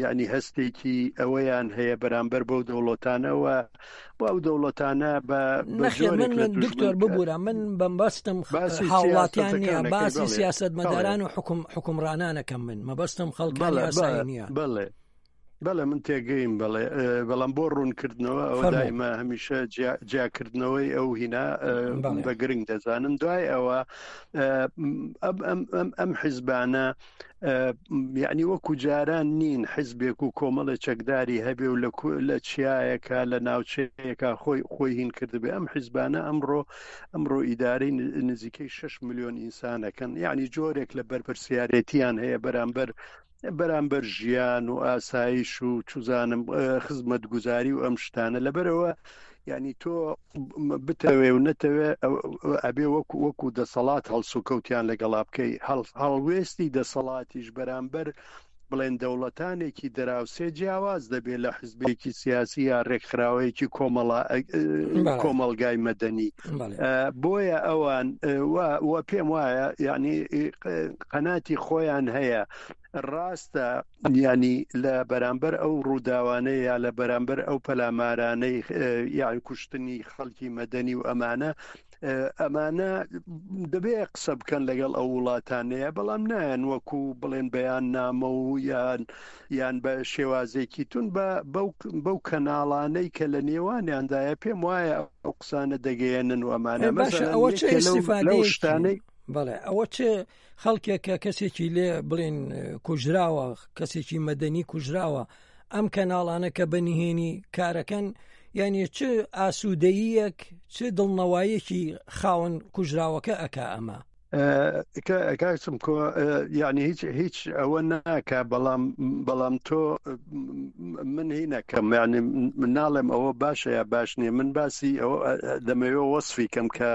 یعنی هەستێکی ئەوەیان هەیە بەرامبەر بەو دەوڵەتانەوە و ئەو دەوڵەتانە بە جۆرێک لە دکتۆر ببوورە من بەمبەستم هاوڵاتیان نییە باسی سیاست مەداران و حکوم حکومڕانانەکەم من مەبەستم خەڵکانی ئاسایی نییە بەڵێ بەڵێ من تێگەیم بەڵێ بەڵام بۆ ڕوونکردنەوە ئەوە دایمە هەمیشە جیاکردنەوەی ئەو هینا بە گرنگ دەزانم دوای ئەوە ئەم حیزبانە یعنی وەکو جاران نین حزبێک و کۆمەڵی چەکداری هەبێ و لە چیایەکە لە ناوچەیەکە خۆی خۆی هین کردبێ ئەم حزبانە ئەمڕۆ ئەمڕۆ ئیدارەی نزیکەی 6 میلیۆن ئینسانەکەن یعنی جۆرێک لە بەرپرسیارەتیان هەیە بەرامبەر بەرامبەر ژیان و ئاسایش و چزانم خزمەتگوزاری و ئەم شتانە لەبەرەوە یعنی تۆ بتەوێ و نەتەوێ ئەبێ وەکو وەکو دەسەڵات هەڵسوکەوتیان لەگەڵا بکەی هەڵوێستی دەسەڵاتیش بەرامبەر بڵێن دەوڵەتانێکی دراوسێ جیاواز دەبێت لە حزبێکی سیاسی یا ڕێکخراوەیەکی کۆمەڵا کۆمەڵگای مەدەنی بۆیە ئەوان و پێم وایە یعنی قەناتی خۆیان هەیە ڕاستە یانی لە بەرامبەر ئەو ڕووداوانەی یا لە بەرامبەر ئەو پەلامارانەی یان کوشتنی خەڵکی مەدەنی و ئەمانە ئەمانە دەبێ قسە بکەن لەگەڵ ئەو وڵاتانەیە بەڵام نایەن وەکو بڵێن بەیان نامە و یان یان بە شێوازێکی تون بە بەو کەناڵانەی کە لە نێوانیاندایە پێم وایە ئەو قسانە دەگەیەنن و ئەمانە باشە ئەوە چ ئیسیفادەیەکی بەڵێ ئەوە چ خەڵکێک کە کەسێکی لێ بڵین کوژراوە کەسێکی مەدەنی کوژراوە ئەم کەناڵانە کە بە نهێنی کارەکەن یعنی چ ئاسوودەیەک چ دڵنەوایەکی خاوەن کوژراوەکە ئەک ئەمە کاکسم کۆ یعنی هیچ هیچ ئەوە ناکە بەڵام بەڵام تۆ من هینەکەم یعنی من ناڵێم ئەوە باشە یا باش نییە من باسی ئەوە دەمەوێ وەصفی کەم کە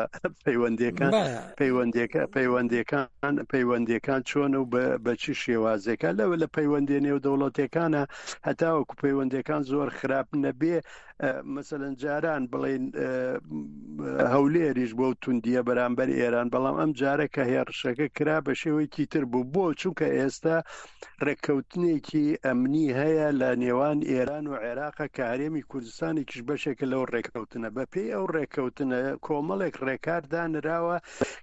پەیوەندیەکان پەیوەندیەکە پەیوەندیەکان پەیوەندیەکان چۆنە و بە چی شێوازێکە لەوە لە پەیوەندی نێو دەوڵەتەکانە هەتاوەکو پەیوەندەکان زۆر خراپ نەبێ مەسەلەن جاران بڵین هەولێریش بۆ توندیە بەرامبەر ئێران بەڵام ئەم جارە کە هێڕشەکە کرا بە شێوەیەکی تر بوو بۆ چونکە ئێستا ڕێککەوتنێکی ئەمنی هەیە لە نێوان ئێران و عێراقە کە هەرێمی کوردستانێکیش بەشێکە لەو ڕێککەوتنە بەپێی ئەو ڕێککەوتنە کۆمەڵێک ڕێکار دانراوە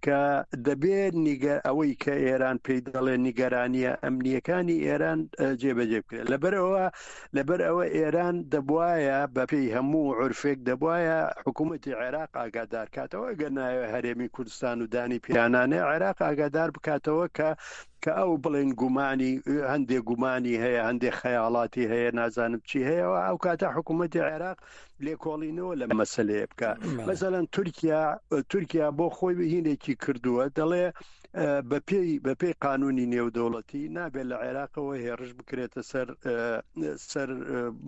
کە دەبێت نیگە ئەوەی کە ئێران پێی دەڵێ نیگەرانیە ئەمنیەکانی ئێران جێبەجێ بکرێت لەبەرئەوە لەبەر ئەوە ئێران دەبوایە بەپێی هەموو عورفێک دەبوایە حکوومەتی عێراق ئاگادار کاتەوە ئەگەر نایەوێ هەرێمی کوردستان و دانی پیانانێ عێراق ئاگادار بکاتەوە کە کە ئەو بڵێن گومانی هەندێک گومانی هەیە هەندێک خەیاڵاتی هەیە نازانم چی هەیە ئەو کاتە حکوومەتی عێراق لێکۆڵینەوە لە مەسلەیە بکە مەسەلەن تورکیا تورکیا بۆ خۆی هینێکی کردووە دەڵێ بەپێی بەپێی قانونی نێودەوڵەتی نابێت لە عێراقەوە هێڕش بکرێتە سەر سەر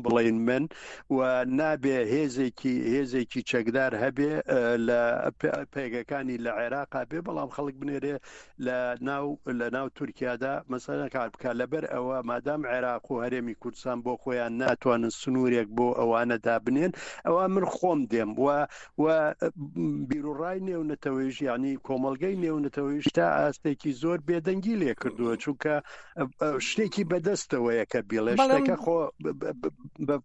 بڵین من و نابێ هێزێکی هێزێکی چەکدار هەبێ لە پێگەکانی لە عێراقا بێ بەڵام خەڵک بنێرێ لە ناو لە ناو تورکیادا مەسەلەن کار بکات لەبەر ئەوە مادام عێراق و هەرێمی کوردستان بۆ خۆیان ناتوانن سنوورێک بۆ ئەوانە دابنێن ئەوە من خۆم دێم و و بیروڕای نێونەتەوەیش یعنی کۆمەڵگەی نێونەتەوەیش تا ئاستێکی زۆر بێدەنگی لێ کردووە چونکە شتێکی بەدەستەوەیە کە بیڵێ شتەکە خۆ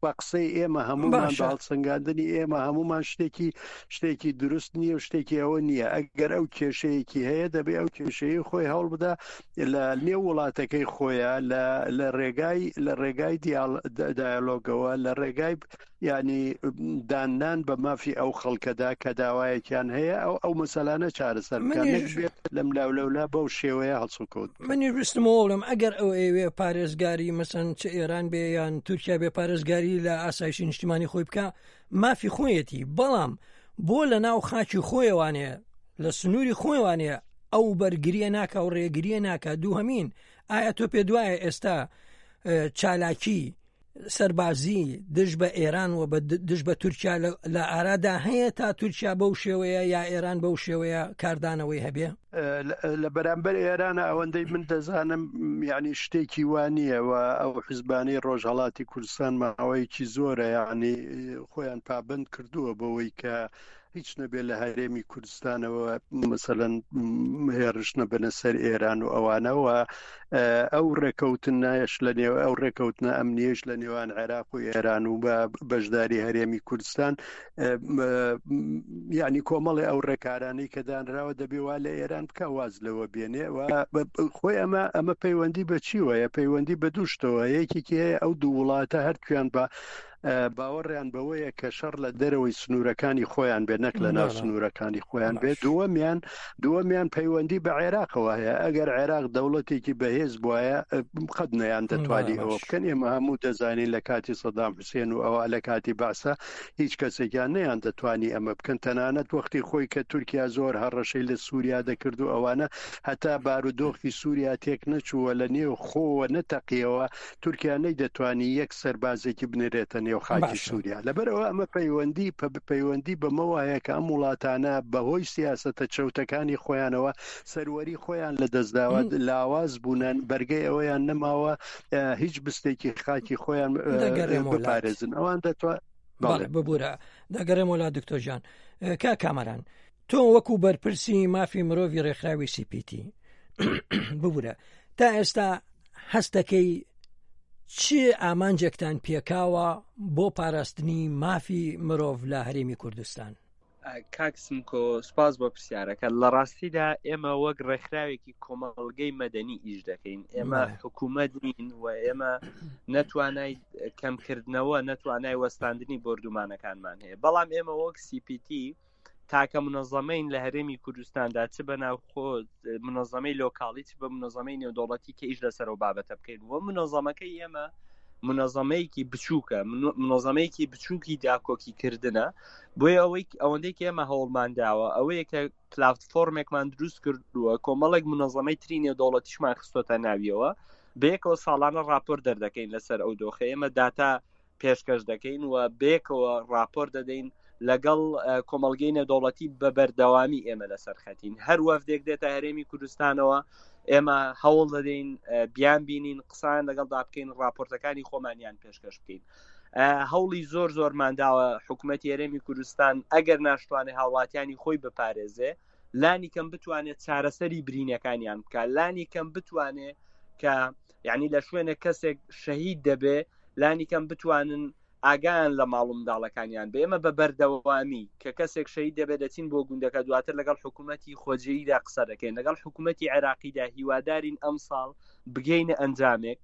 بە قسەی ئێمە هەمومان بە هەڵسەنگاندنی ئێمە هەمومان شتێکی شتێکی دروست نییە و شتێکی ئەوە نییە ئەگەر ئەو کێشەیەکی هەیە دەبێ ئەو کێشەیە خۆی هەوڵ بدا لە نێو وڵاتەکەی خۆیان لە ڕێگای لە ڕێگای دیالۆگەوە لە ڕێگای یعنی داننان بە مافی ئەو خەڵکەدا کە داوایەکیان هەیە ئەو ئەو مەسەلانە چارەسەر بکەن لەم لاولەولا بەو شێوەیە هەڵسوکەوت منی ویستمەوە بڵێم ئەگەر ئەو ئەوێ پارێزگاری مەسەن چ ئێران بێ یان تورکیا بێ پارێزگاری لە ئاسایشی نیشتیمانی خۆی بکە مافی خۆیەتی بەڵام بۆ لە ناو خاکی خۆیوانێ لە سنووری خۆیوانێ. ئەو بەرگریە ناکا و ڕێگریە ناکا دووهەمین ئایا تۆ پێ دوایە ئێستا چالاکی سەربازی دژ بە ئێران و دژ بە تورکیا لە ئارادا هەیە تا تورکیا بەو شێوەیە یا ئێران بەو شێوەیە کاردانەوەی هەبێ؟ لە بەرامبەر ئێرانە ئەوەندەی من دەزانم یعنی شتێکی وا نییە و ئەو حزبانەی ڕۆژهڵاتی کوردستان ماوەیەکی زۆرە یعنی خۆیان پابند کردووە بەوەی کە هیچ نەبێت لە هەرێمی کوردستانەوە مەسەلەن هێرش نەبنە سەر ئێران و ئەوانەوە ئەو ڕێکەوتنایش لە نێو ئەو ڕێکەوتنە ئەمنیش لە نێوان عێراق و ئێران و بە بەشداری هەرێمی کوردستان یعنی کۆمەڵی ئەو ڕێکارانەی کە دانراوە دەبێ وا لە ئێران بکە واز لەوە بێنێ و خۆی ئەمە ئەمە پەیوەندی بە چیوەیە پەیوەندی بە دووشتەوە یەکێکی هەیە ئەو دوو وڵاتە هەرکویان بە باوەڕیان بەوەیە کە شەڕ لە دەرەوەی سنوورەکانی خۆیان بێت نەک لە ناو سنوورەکانی خۆیان بێت دووەمیان دووەمیان پەیوەندی بە عێراقەوە هەیە ئەگەر عێراق دەوڵەتێکی بەهێز بواە قەت نەیان دەتوانی ئەوە بکەن ئێمە هەموو دەزانین لە کاتی سەدام حوسێن و ئەوە لە کاتی بەعسە هیچ کەسێکیان نەیان دەتوانی ئەمە بکەن تەنانەت وەختی خۆی کە تورکیا زۆر هەڕەشەی لە سووریا دەکرد و ئەوانە هەتا بارودۆخی سووریا تێک نەچووە لە نێو خۆوە نەتەقیەوە تورکیا نەیدەتوانی یەک سەربازێکی بنێرێتە نێو خاکی سووریا. لەبەرئەوە ئەمە پەیوەندی پەیوەندی بەمەوە هەیە کە ئەم وڵاتانە بەهۆی سیاسەتە چەوتەکانی خۆیانەوە سەروەری خۆیان لەدەستداوە، لاواز بوونە، بەرگەی ئەوەیان نەماوە هیچ بستێکی خاکی خۆیان بپارێزن. ئەوان دەتوان بەڵێ ببورە دەگەڕێمەوە لا دکتۆر جان کا کامەران تۆ وەکو بەرپرسی مافی مرۆڤی ڕێکخراوی سیپیتی ببورە تا ئێستا هەستەکەی چ ئامانجێکتان پێکاوە بۆ پاراستنی مافی مرۆڤ لە هەرێمی کوردستان؟ کاک سمکۆ سپاس بۆ پرسیارەکە لە ڕاستیدا ئێمە وەک ڕێکخراوێکی کۆمەڵگەی مەدەنی ئیش دەکەین ئێمە حکوومەت نین و ئێمە نەتوانای کەمکردنەوە نەتوانای وەستاندنی بۆردومانەکانمان هەیە بەڵام ئێمە وەک CPT تاکە منەزەمەین لە هەرێمی کوردستاندا چ بە ناوخۆ منەزەمەی لۆکاڵی چ بە منەزەمەی نێودەوڵەتی کە ئیش لەسەر و بابەتە بکەین و منەزەمەکەی ئێمە منەزەمەیەکی بچووکە منەزەمەیەکی بچووکی داکۆکی کردنە بۆیە ئەوەی ئەوەندەی کە ئێمە هەوڵمان داوە ئەوەیە کە پلاتفۆرمێکمان دروست کردووە کۆمەڵێک منەزەمەی تری نێودەوڵەتیشمان خستۆتە ناویەوە بەیەکەوە ساڵانە راپۆر دەردەکەین لەسەر ئەو دۆخە ئێمە داتا پێشکەش دەکەین و بەیەکەوە راپۆر دەدەین لەگەڵ کۆمەڵگەی نێودەوڵەتی بە بەردەوامی ئێمە لەسەر خەتین هەر وەفدێک دێتە هەرێمی کوردستانەوە ئێمە هەوڵ دەدەین بیان بینین قسان لەگەڵدا بکەین راپۆرتەکانی خۆمانیان پێشکەش بکەین هەوڵی زۆر زۆرمانداوە حکوومەتی هەرێمی کوردستان ئەگەر ناشتوانێت هاوڵاتیانی خۆی بپارێزێ لانی کەم بتوانێت چارەسەری برینەکانیان بکات لانی کەم بتوانێت کە یعنی لە شوێنێک کەسێک شەهید دەبێ لانی کەم بتوانن ئاگایان لە ماڵ و منداڵەکانیان بێ ئێمە بە بەردەوامی کە کەسێک شەهید دەبێت دەچین بۆ گوندەکە دواتر لەگەڵ حکوومەتی خۆجێیدا قسە دەکەین لەگەڵ حکوومەتی عێراقیدا هیوادارین ئەمساڵ بگەینە ئەنجامێک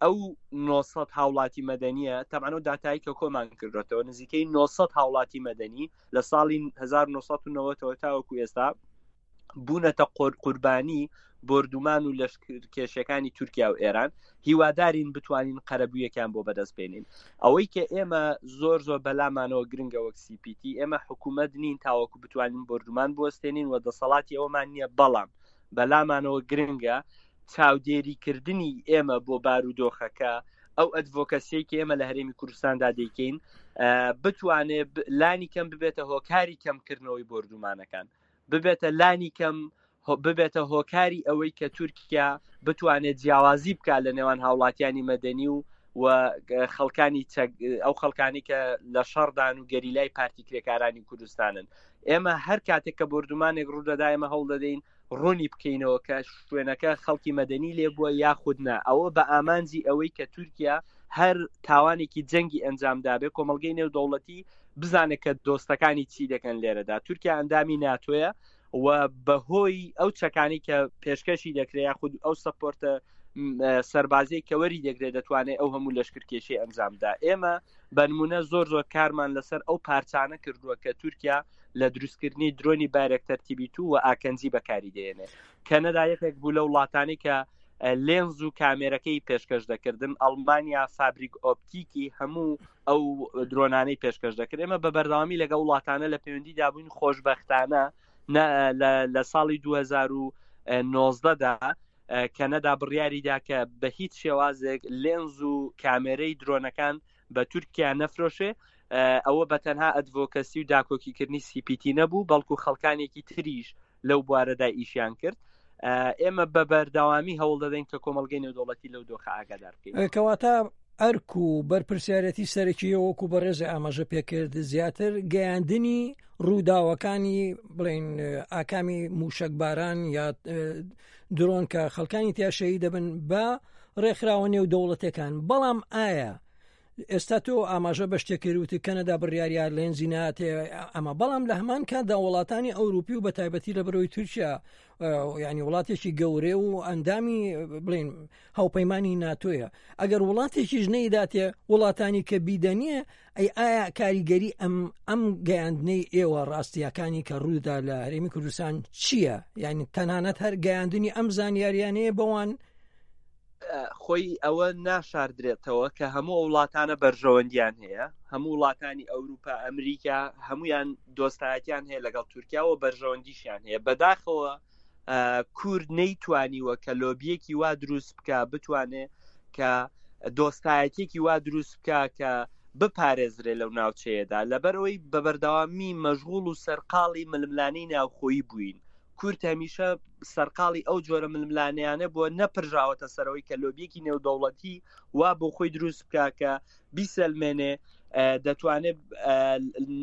ئەو 900 هاوڵاتی مەدەنیە تەبعەن ئەو داتایی کە کۆمان کردوێتەوە نزیکەی 900 هاوڵاتی مەدەنی لە ساڵی 1990ەوە تاوەکو ئێستا بوونەتە قوربانی بۆردومان و لەشکرکێشیەکانی تورکیا و ئێران هیوادارین بتوانین قەرەبوویەکیان بۆ بەدەست بێنین ئەوەی کە ئێمە زۆر زۆر بەلامانەوە گرنگە وەک CPT ئێمە حکوومەت نین تاوەکو بتوانین بۆردومان بوەستێنین و دەسەڵاتی ئەومان نییە بەڵام بەلامانەوە گرنگە چاودێریکردنی ئێمە بۆ بارودۆخەکە ئەو ئەدڤۆکەسیەی کە ئێمە لە هەرێمی کوردستاندا دەیکەین بتوانێ لانی کەم ببێتە هۆکاری کەمکردنەوەی بۆردومانەکان ببێتە لانی کەم ببێتە هۆکاری ئەوەی کە تورکیا بتوانێت جیاوازی بکات لە نێوان هاوڵاتیانی مەدەنی و و خەڵکانی ئەو خەڵکانی کە لە شەڕدان و گەریلای پارتی کرێکارانی کوردستانن ئێمە هەر کاتێک کە بردومانێک ڕوودەدا ئێمە هەوڵ دەدەین ڕوونی بکەینەوە کە شوێنەکە خەڵکی مەدەنی لێبووە یاخود نا ئەوە بە ئامانجی ئەوەی کە تورکیا هەر تاوانێکی جەنگی ئەنجامدابێ کۆمەڵگەی نێودەوڵەتی بزانێت کە دۆستەکانی چی دەکەن لێرەدا تورکیا ئەندامی ناتۆیە و بەهۆی ئەو چەکانی کە پێشکەشی دەکرێت یاخود ئەو سەپۆرتە سەربازی کە وەری دەگرێت دەتوانێت ئەو هەموو لەشکرکێشی ئەنجامدا ئێمە بەنمونە زۆر زۆر کارمان لەسەر ئەو پارچانە کردووە کە تورکیا لە دروستکردنی درۆنی بارێکتەر تیبیتو و ئاکەنجی بەکاری دێنێ کەنەدا یەکێک بوو لە وڵاتانی کە لێنز و کامێرەکەی پێشکەش دەکردن ئەڵمانیا فابریک ئۆپتیکی هەموو ئەو درۆنانەی پێشکەش دەکرد ئێمە بە بەردەوامی لەگەڵ وڵاتانە لە پەیوەندیدا بووین خۆشبەختانە لە ساڵی 2000 نۆزدە دا کەنەدا بڕیاری دا کە بە هیچ شێوازێک لێنز و کامێرەی درۆنەکان بە تورکیا نەفرۆشێ ئەوە بە تەنها ئەدڤۆکەسی و داکۆکیکردنی سیپیتی نەبوو بەڵکو خەڵکانێکی تریش لەو بوارەدا ئیشیان کرد ئێمە بە بەردەوامی هەوڵ دەدەین کە کۆمەڵگەی نێودەوڵەتی لەو دۆخە ئاگادار بکەین کەواتە ئەرک و بەرپرسیارەتی سەرەکی وەکو بەڕێز ئاماژە پێکرد زیاتر گەیاندنی ڕووداوەکانی بڵین ئاکامی موشکباران یا درۆن کە خەڵکانی تیاشەیی دەبن بە ڕێکخراوە نێو دەوڵەتەکان بەڵام ئایا ئێستا تۆ ئاماژە بە شتێک کرد وتی کەنەدا بڕیاریا لێنزی ناتێ ئەمە بەڵام لە هەمان کاتدا وڵاتانی ئەوروپی و بە تایبەتی لە بەرەوەی تورکیا ینی وڵاتێکی گەورێ و ئەندامی بڵین هاوپەیمانانی ناتۆیە ئەگەر وڵاتێکیش نەیداتێ وڵاتانی کە بیدەنیە ئەی ئایا کاریگەری ئەم ئەم گەیاندنەی ئێوە ڕاستیەکانی کە ڕوودا لە هەرێمی کوردستان چییە؟ یعنی تەنانەت هەر گەیاندنی ئەم زانیاریانەیە بەوان خۆی ئەوە ناشاردرێتەوە کە هەموو وڵاتانە بەرژەوەندیان هەیە هەموو وڵاتانی ئەوروپا ئەمریکا هەمویان دۆستایەتیان هەیە لەگەڵ تورکیا و بەرژەوەندیشیان هەیە بەداخەوە کورد نەیتوانیوە کە لۆبیەکی وا دروست بکە بتوانێ کە دۆستایەتێکی وا دروست بکە کە بپارێزرێ لەو ناوچەیەدا لەبەرەوەی بە بەردەوامی مەشغوڵ و سەرقاڵی ململانێی ناوخۆیی بووین کورد هەمیشە سەرقاڵی ئەو جۆرە ململانێیانە بووە نەپرژاوەتە سەرەوەی کە لۆبیەکی نێودەوڵەتی وا بۆ خۆی دروست بکە کە بیسەلمێنێ دەتوانێت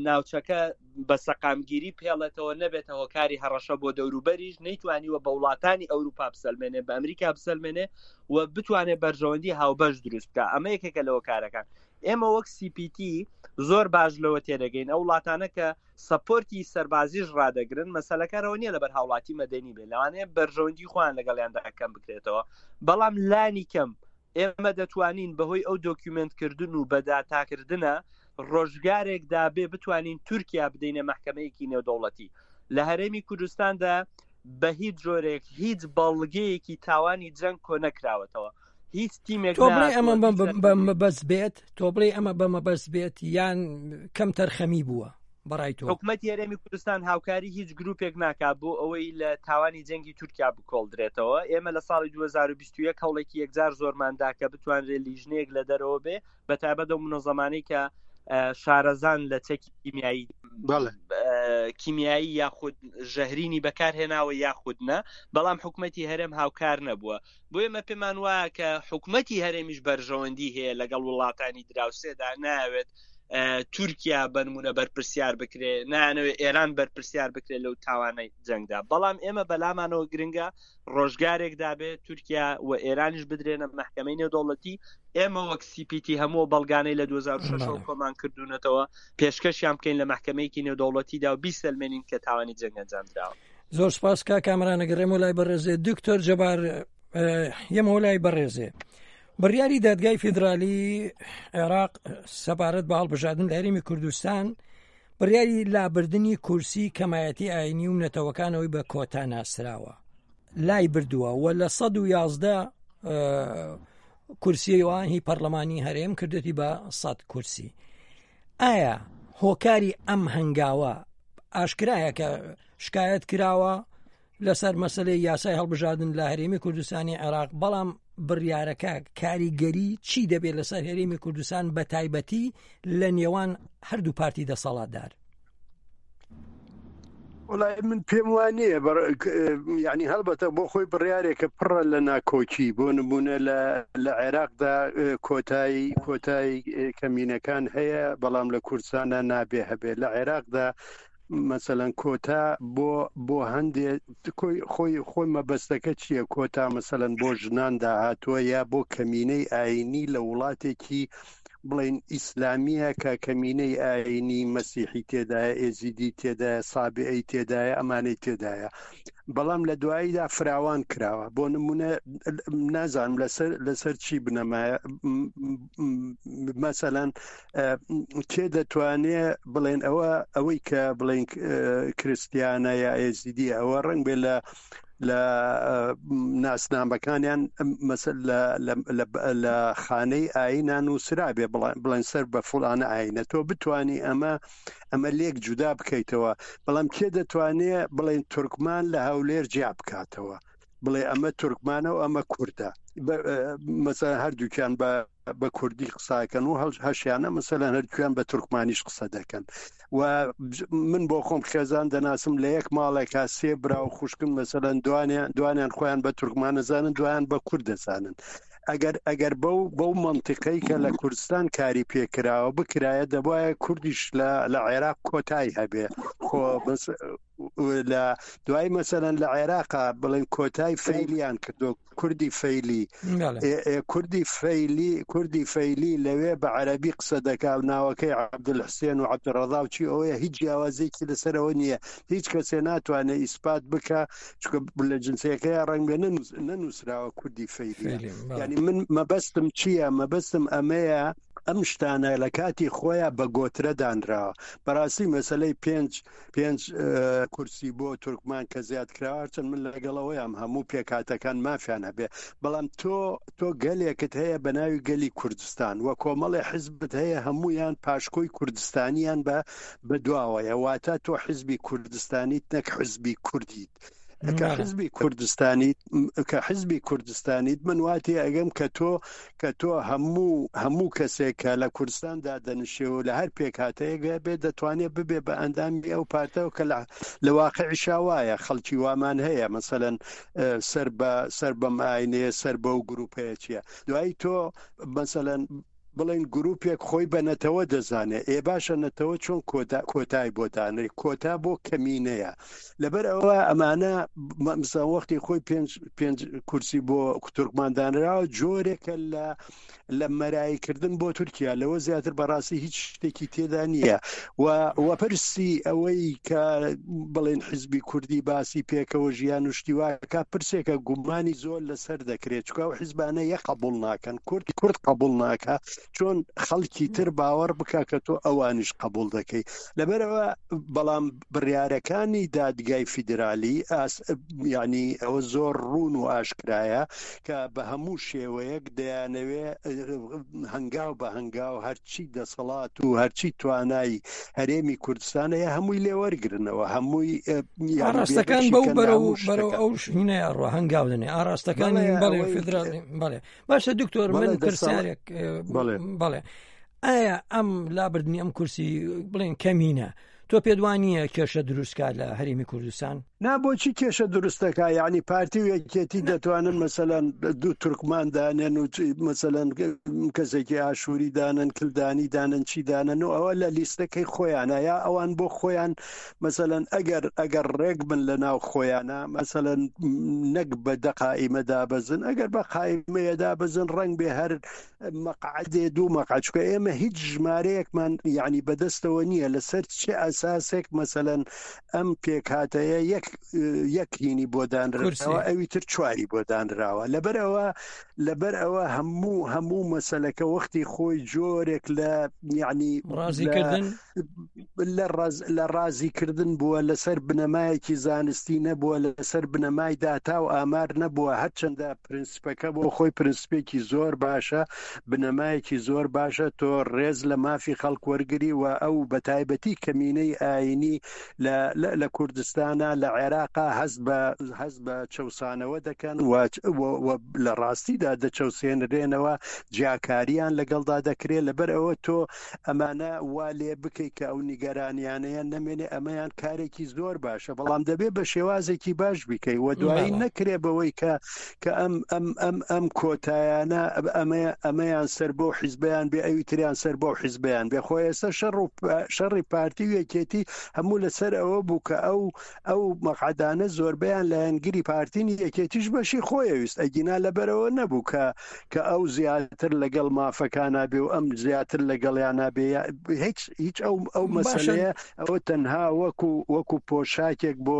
ناوچەکە بە سەقامگیری پێڵێتەوە نەبێتە هۆکاری هەڕەشە بۆ دەوروبەریش نەیتوانیوە بە وڵاتانی ئەوروپا بسەلمێنێ بە ئەمریکا بسەلمێنێ و بتوانێت بەرژەوەندی هاوبەش دروست بکە ئەمە یەکێکە لە هۆکارەکان ئێمە وەک CPT زۆر باش لەوە تێدەگەین ئەو وڵاتانە کە سەپۆرتی سەربازیش ڕادەگرن مەسەلەکە ئەوە نییە لەبەر هاوڵاتی مەدەنی بێ لەوانەیە بەرژەوەندی خۆیان لەگەڵیاندا کەم بکرێتەوە بەڵام لانی کەم ئێمە دەتوانین بەهۆی ئەو دۆکیومێنتکردن و بەداتاکردنە ڕۆژگارێکدا بێ بتوانین تورکیا بدەینە مەحکەمەیەکی نێودەوڵەتی لە هەرێمی کوردستاندا بە هیچ جۆرێک هیچ بەڵگەیەکی تاوانی جەنگ کۆ نەکراوەتەوە هیچ تیمێک تۆ بڵێ ئەمە بەمەبەست بێت تۆ بڵێ ئەمە بەمەبەست بێت یان کەم تەرخەمی بووە بەڕای تۆ حکومەتی هەرێمی کوردستان هاوکاری هیچ گروپێک ناکات بۆ ئەوەی لە تاوانی جەنگی تورکیا بکۆڵدرێتەوە ئێمە لە ساڵی 2021 هەوڵێکی یەکجار زۆرماندا کە بتوانرێت لیژنەیەک لە دەرەوە بێ بە تایبەت ئەو منەزەمانەی کە شارەزان لە چەکی کیمیایی کیمیایی یاخود ژەهرینی بەکارهێناوە یاخود نە بەڵام حکومەتی هەرێم هاوکار نەبووە بۆ ئێمە پێمان وایە کە حکومەتی هەرێمیش بەرژەوەندی هەیە لەگەڵ وڵاتانی دراوسێدا ناوێت تورکیا بەنمونە بەرپرسیار بکرێ نانەوێت ئێران بەرپرسیار بکرێت لەو تاوانەی جەنگدا بەڵام ئێمە بەلامانەوە گرنگە ڕۆژگارێک دابێت تورکیا و ئێرانیش بدرێنە مەحکەمەی نێودەوڵەتی ئێمە وەک CPT هەموو بەڵگانەی لە 2006 کۆمان کردوونەتەوە پێشکەشیان بکەین لە مەحکەمەیەکی نێودەوڵەتیدا و بیسەلمێنین کە تاوانی جەنگ ئەنجام دراوە. زۆر سپاس کا کامرانە گەڕێمەوە لای بەڕێزێ دکتۆر جەبار یەمەوە لای بەڕێزێ بڕیاری دادگای فیدرالی عێراق سەبارەت بە هەڵبژاردن لە هەرێمی کوردستان بڕیاری لابردنی کورسی کەمایەتی ئاینی و نەتەوەکانەوەی بە کۆتا ناسراوە لای بردووە و لە 111 کورسیەوە هی پەرلەمانی هەرێم کردێتی بە 100 کورسی ئایا هۆکاری ئەم هەنگاوە ئاشکرایە کە شکایەت کراوە لەسەر مەسلەی یاسای هەڵبژاردن لە هەرێمی کوردستانی عێراق بەڵام بڕیارەکە کاریگەری چی دەبێت لەسەر هەرێمی کوردستان بە تایبەتی لە نێوان هەردوو پارتی دەسەڵاتدار وڵای من پێم وانە یعنی هەڵبەتە بۆ خۆی بڕیارێکە پڕە لە ناکۆکی بۆ نمونە لە عێراقدا کۆتایی کۆتایی کەمینەکان هەیە بەڵام لە کوردستانە نابێ هەبێ لە عێراقدا مەسەلەن کۆتا بۆ بۆ هەندێ کۆی خۆی خۆی مەبەستەکە چییە کۆتا مەسەلەن بۆ ژنان داهاتووە یا بۆ کەمینەی ئاینی لە وڵاتێکی بڵین ئیسلامیە کە کەمینەی ئاینی مەسیحی تێدایە ئێزیدی تێدایە سابعی تێدایە ئەمانەی تێدایە بەڵام لە دواییدا فراوان کراوە بۆ نمونە نازانم لەسەر لەسەر چی بنەمایە مەسەلەن کێ دەتوانێ بڵێن ئەوە ئەوەی کە بڵێن کریسیانە یا ئێزیدی ئەوە ڕنگ بێ لە لە ناسنامەکانیان مەسل لە خانەی ئاینان و سرابێ بڵێن سەر بە فڵانە ئاینە تۆ بتانی ئەمە ئەمە لێک جودا بکەیتەوە بەڵام کێ دەتوانێ بڵێن تورکمان لە هەولێر جیا بکاتەوە. بڵێ ئەمە تورکمانە و ئەمە کوردە مەسەلەن هەردووکیان بە بە کوردی قساکەن و هەڵ هەشیانە مەسەلەن هەردووکیان بە تورکمانیش قسە دەکەن و من بۆ خۆم خێزان دەناسم لە یەک ماڵێکا سێ برا و خوشکن مەسەلەن دوانیان دوانیان خۆیان بە تورکمان دەزانن دویان بە کورد دەزانن ئەگەر ئەگەر بەو بەو مەنتیقەی کە لە کوردستان کاری پێکراوە بکرایە دەبایە کوردیش لە لە عێراق کۆتای هەبێ خۆ بەس لە دوای مەسەلەن لە عێراقا بڵێن کۆتای فەیلیان کردو کوردی فەیلی کوردی فەیلی کوردی فەیلی لەوێ بە عەربی قسە دەکا و ناوەکەی عەبدولحسێن و عەبدولڕەزا و چی ئەوەیە هیچ جیاوازێکی لەسەرەوە نییە هیچ کەسێ ناتوانێت ئیسپات بکە چکە لە جنسەکەی ڕەنگ بێ نەنووسراوە کوردی فەیلی یعنی من مەبەستم چییە مەبەستم ئەمەیە ئەم شتانە لە کاتی خۆیان بە گۆترە دانراوە بەڕاستی مەسلەی پێنج پێنج کورسی بۆ تورکمان کە زیاد کراوە هەرچەند من لەگەڵەوەیام هەموو پێکهاتەکان مافیان هەبێ بەڵام تۆ تۆ گەلێکت هەیە بە ناوی گەلی کوردستان و کۆمەڵی حزبت هەیە هەمویان پاشکۆی کوردستانیان بە بەدواوەیە واتە تۆ حزبی کوردستانیت نەک حزبی کوردیت کە حزبی کوردستانیت کە حزبی کوردستانیت من واتی ئەگەم کە تۆ کە تۆ هەموو هەموو کەسێک کە لە کوردستان دادەنیشێ و لە هەر پێکهاتەیەک بێ دەتوانێت ببێ بە ئەندامی ئەو پارتەوە کە لە واقعیشا وایە خەڵکی وامان هەیە مەسەلەن سەر بە سەر بەم ئاینەیە سەر بەو گروپەیە چییە دوایی تۆ مەسەلەن بڵێن گروپێک خۆی بە نەتەوە دەزانێ ئێ باشە نەتەوە چۆن کۆتا کۆتای بۆ دانرێ کۆتا بۆ کەمینەیە لەبەر ئەوە ئەمانە مەمسا وەختی خۆی پێنج پێنج کورسی بۆ تورکمان دانراوە جۆرێکە لە لە مەرایکردن بۆ تورکیا لەوە زیاتر بەڕاستی هیچ شتێکی تێدا نییە و وەپرسی ئەوەی کە بڵێن حزبی کوردی باسی پێکەوە ژیان و شتیواکە پرسێکە گومانی زۆر لەسەر دەکرێت چکا و حزبانە یە قبول ناکەن کورد کورد قبول ناکە چۆن خەڵکی تر باوەڕ بکە کە تۆ ئەوانیش قبول دەکەی لەبەرەوە بەڵام بڕیارەکانی دادگای فیدرالی یعنی ئەوە زۆر ڕوون و ئاشکرایە کە بە هەموو شێوەیەک دەیانەوێ هەنگاو بە هەنگاو هەرچی دەسەڵات و هەرچی توانای هەرێمی کوردستان هەیە هەمووی لێوەرگرنەوە هەمووی ئاراستەکان بەو بەرەو بەرەو ئەو شینەیە ڕۆ هەنگاو دەنێ ئاراستەکانی بەڵێ فیدرالی بەڵێ باشە دکتۆر من پرسیارێک بەڵێ ئایا ئەم لابردنی ئەم کورسی بڵێن کەمینە تۆ پێت وا نییە کێشە دروست کا لە هەرێمی کوردستان؟ نا بۆچی کێشە دروست دەکا یعنی پارتی و یەکێتی دەتوانن مەسەلەن دوو تورکمان دانێن و مەسەلەن کەسێکی ئاشووری دانن کلدانی دانن چی دانن و ئەوە لە لیستەکەی خۆیانە یا ئەوان بۆ خۆیان مەسەلەن ئەگەر ئەگەر ڕێک بن لە ناو خۆیانە مەسەلەن نەک بە دە قائیمە دابەزن ئەگەر بە قائیمەیە دابەزن ڕەنگ بێ هەر مەقعەدێ دوو مەقعەد چونکە ئێمە هیچ ژمارەیەکمان یعنی بەدەستەوە نییە لەسەر چه ئەساسێک مەسەلەن ئەم پێکهاتەیە یەک یەک هینی بۆ دانراوە ئەوی تر چواری بۆ دانراوە لەبەر ئەوە لەبەر ئەوە هەموو هەموو مەسەلەکە وەختی خۆی جۆرێک لە یعنی ڕازیکردن لە ڕازیکردن بووە لەسەر بنەمایەکی زانستی نەبووە لەسەر بنەمای داتا و ئامار نەبووە هەرچەندە پرنسپەکە بۆ خۆی پرنسپێکی زۆر باشە بنەمایەکی زۆر باشە تۆ ڕێز لە مافی خەڵک وەرگری و ئەو بەتایبەتی کەمینەی ئاینی لە کوردستانە لە عێراقا هەست بە هەست بە چەوسانەوە دەکەن و لە ڕاستیدا دەچەوسێنرێنەوە جیاکاریان لەگەڵدا دەکرێت لەبەر ئەوە تۆ ئەمانە وا لێ بکەی کە ئەو نیگەرانیانەیان نەمێنێ ئەمەیان کارێکی زۆر باشە بەڵام دەبێ بە شێوازێکی باش بیکەی و دوایی نەکرێ بەوەی کە کە ئەم ئەم ئەم ئەم کۆتایانە ئەمە ئەمەیان سەر بۆ حیزبیان بێ ئەوی تریان سەر بۆ حیزبیان بێ خۆ ئێستا شەڕ و شەڕی پارتی و یەکێتی هەموو لەسەر ئەوە بوو کە ئەو ئەو مەقعەدانە زۆربەیان لایەنگری پارتین یەکێتیش بەشی خۆیەویست ئەگینا لەبەرەوە نەبوو کە کە ئەو زیاتر لەگەڵ مافەکانا بێ و ئەم زیاتر لەگەڵیانا بێ هیچ هیچ ئەو ئەو مەسەلەیە ئەوە تەنها وەکو وەکو پۆشاکێک بۆ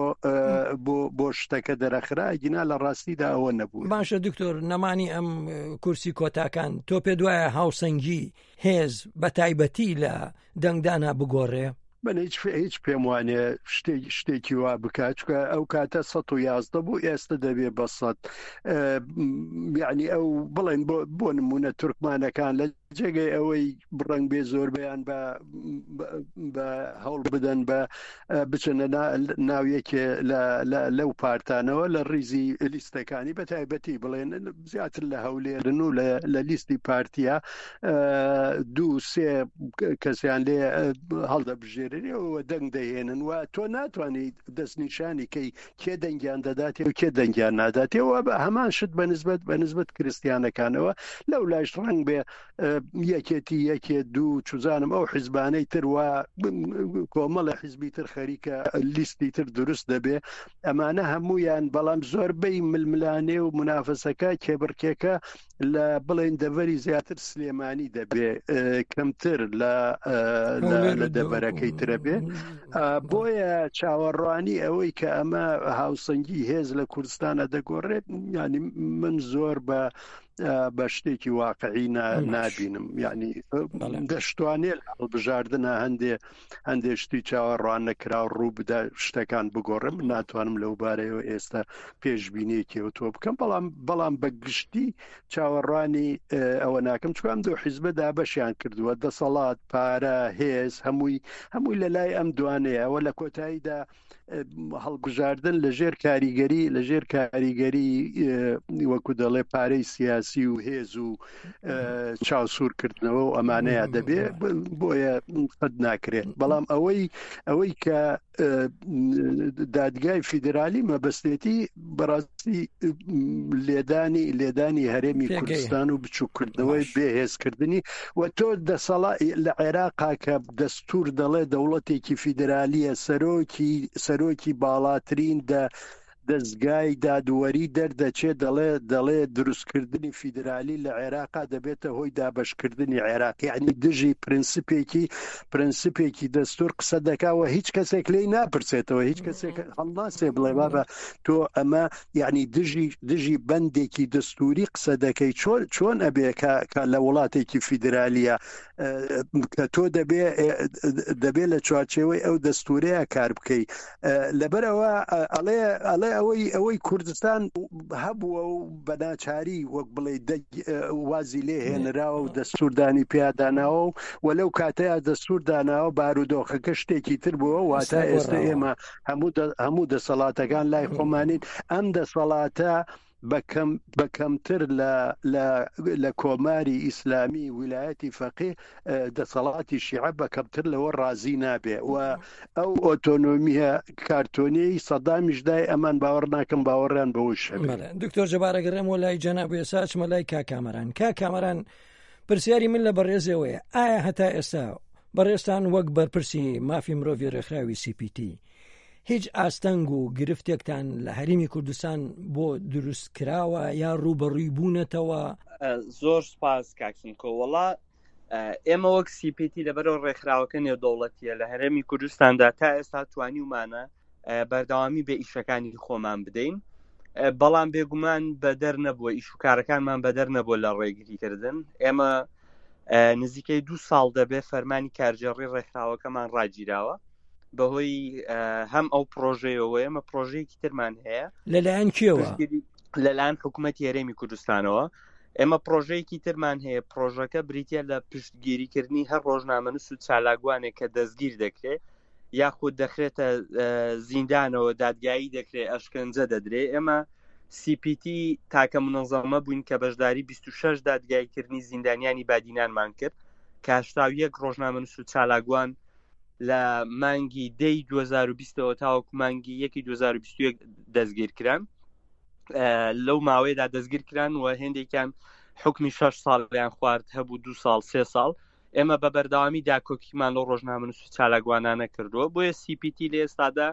بۆ بۆ شتەکە دەرەخرا ئەگینا لە ڕاستیدا ئەوە نەبوو. باشە دکتۆر نەمانی ئەم کورسی کۆتاکان تۆ پێ دوایە هاوسەنگی هێز بە تایبەتی لە دەنگدانا بگۆڕێ؟ من هیچ هیچ پێم وانێ شتێک شتێکی وا بکات چکە ئەو کاتە 111 بوو ئێستا دەبێ بە سەد یعنی ئەو بڵێن بۆ بۆ نمونە تورکمانەکان لە جێگەی ئەوەی بڕەنگ بێ زۆربیان بە بە هەوڵ بدەن بە بچنە ناو یەکێ لەو پارتانەوە لە ڕیزی لیستەکانی بە تایبەتی بڵێن زیاتر لە هەولێرن و لە لیستی پارتیا دوو سێ کەسیان لێ هەڵدەبژێرێەوە دەنگ دەهێنن و تۆ ناتوانیت دەستنیشانی کەی کێ دەنگیان دەداتێ و کێ دەنگیان ناداتێەوە بە هەمان شت بە نسبەت بە نسبەت کریسیانەکانەوە لەو لایش ڕەنگ بێ یەکێتی یەکێ دوو چزانم ئەو حیزبانەی تر وا کۆمەڵە حیزبی تر خەریکە لیستی تر دروست دەبێ ئەمانە هەمویان بەڵام زۆربەی ململانێ و منافەسەکە کێبڕکێکە لە بڵێن دەڤەری زیاتر سلێمانی دەبێ کەمتر لە لە دەڤەرەکەی ترە بێ بۆیە چاوەڕوانی ئەوەی کە ئەمە هاوسەنگی هێز لە کوردستانە دەگۆڕێت ینی من زۆر بە بە شتێکی واقعی نابینم یعنی دەشتوانێت هەڵبژاردنە هەندێ هەندێ شتی چاوەڕوان نەکراو ڕوو بدا شتەکان بگۆڕێ من ناتوانم لەو بارەیەوە ئێستا پێشبینیەکی ئەو تۆ بکەم بەڵام بەڵام بە گشتی چاوەڕوانی ئەوە ناکەم چونکە ئەم دوو حیزبە دابەشیان کردووە دەسەڵات پارە هێز هەمووی هەمووی لە لای ئەم دوانەیە ئەوە لە کۆتاییدا هەڵبژاردن لە ژێر کاریگەری لە ژێر کاریگەری وەکو دەڵێ پارەی سیاسی و هێز و چاوسوورکردنەوە و ئەمانەیە دەبێ بۆیە قەت ناکرێت بەڵام ئەوەی ئەوەی کە دادگای فیدرالی مەبەستێتی بەڕاستی لێدانی لێدانی هەرێمی کوردستان و بچووکردنەوەی بێهێزکردنی و تۆ دەسەڵا لە عێراقا کە دەستور دەڵێ دەوڵەتێکی فیدرالیە سەرۆکی سەرۆکی باڵاترین دە دەزگای دادوەری دەردەچێ دەڵێ دەڵێ دروستکردنی فیدرالی لە عێراقا دەبێتە هۆی دابەشکردنی عێراق یعنی دژی پرنسپێکی پرنسپێکی دەستور قسە دەکا و هیچ کەسێک لێی ناپرسێتەوە هیچ کەسێک هەڵناسێ بڵێ بابە تۆ ئەمە یعنی دژی دژی بەندێکی دەستوری قسە دەکەی چۆن چۆن ئەبێ کە کە لە وڵاتێکی فیدرالیە کە تۆ دەبێ دەبێ لە چوارچێوەی ئەو دەستورەیە کار بکەی لەبەرەوە ئەڵێ ئەڵێ ئەوەی ئەوەی کوردستان هەبووە و بەناچاری وەک بڵێ وازی لێ هێنراوە و دەستوردانی پیاداناوە و و لەو کاتەیە دەستور داناوە بارودۆخەکە شتێکی تر بووە واتە ئێستا ئێمە هەموو هەموو دەسەڵاتەکان لای خۆمانین ئەم دەسەڵاتە بە کەم بە کەمتر لە لە لە کۆماری ئیسلامی ویلایەتی فەقی دەسەڵاتی شیعە بە کەمتر لەوە ڕازی نابێ و ئەو ئۆتۆنۆمیە کارتۆنیەی سەدامیش دای ئەمان باوەڕ ناکەم باوەڕیان بەوەیش هەبێ. بەڵێ دکتۆر جەبار ئەگەڕێمەوە لای جەناب ئێستا ئەچمە لای کاک کامەران کاک کامەران پرسیاری من لە بەڕێزەوەیە ئایا هەتا ئێستا بەڕێزتان وەک بەرپرسی مافی مرۆڤی ڕێکخراوی CPT هیچ ئاستەنگ و گرفتێکتان لە هەرێمی کوردستان بۆ دروست کراوە یا ڕووبەڕووی بوونەتەوە؟ زۆر سپاس کاک سمکۆ وەڵا ئێمە وەک سیپیتی لەبەرەوە ڕێکخراوەکە نێودەوڵەتیە لە هەرێمی کوردستاندا تا ئێستا توانیومانە بەردەوامی بە ئیشەکانی خۆمان بدەین بەڵام بێگومان بەدەر نەبووە ئیش و کارەکانمان بەدەر نەبووە لە ڕێگریکردن ئێمە نزیکەی دو ساڵ دەبێ فەرمانی کارگێڕی ڕێکخراوەکەمان ڕاگیراوە بەهۆی هەم ئەو پرۆژەیەوە ئێمە پرۆژەیەکی ترمان هەیە لەلایەن کێوە لەلایەن حکوومەت هەرێمی کوردستانەوە ئێمە پرۆژەیەکی ترمان هەیە پرۆژەکە بریتە لە پشتگیریکردنی هەر ڕۆژنامەنووس و چالاکوانێک کە دەستگیر دەکرێت یاخود دەخرێتە زیندانەوە دادگایی دەکرێت ئەشکەنجە دەدرێ ئێمە CPT تاکە منەزەمە بووین کە بەشداری 26 دادگایکردنی زیندانیانی بادینانمان کرد کە 81 ڕۆژنامەنووس و چالاکوان لە مانگی دەی 2020ەوە تاوەکو مانگی یەکی 2021 دەستگیر کران لەو ماوەیەدا دەستگیر کران و هێندێکیان حکمی 6 ساڵیان خوارد هەبوو دو ساڵ سێ ساڵ ئێمە بە بەردەوامی داکۆکیمان لەو ڕۆژنامەنووس و چالاکوانانە کردووە بۆیە CPT لە ئێستادا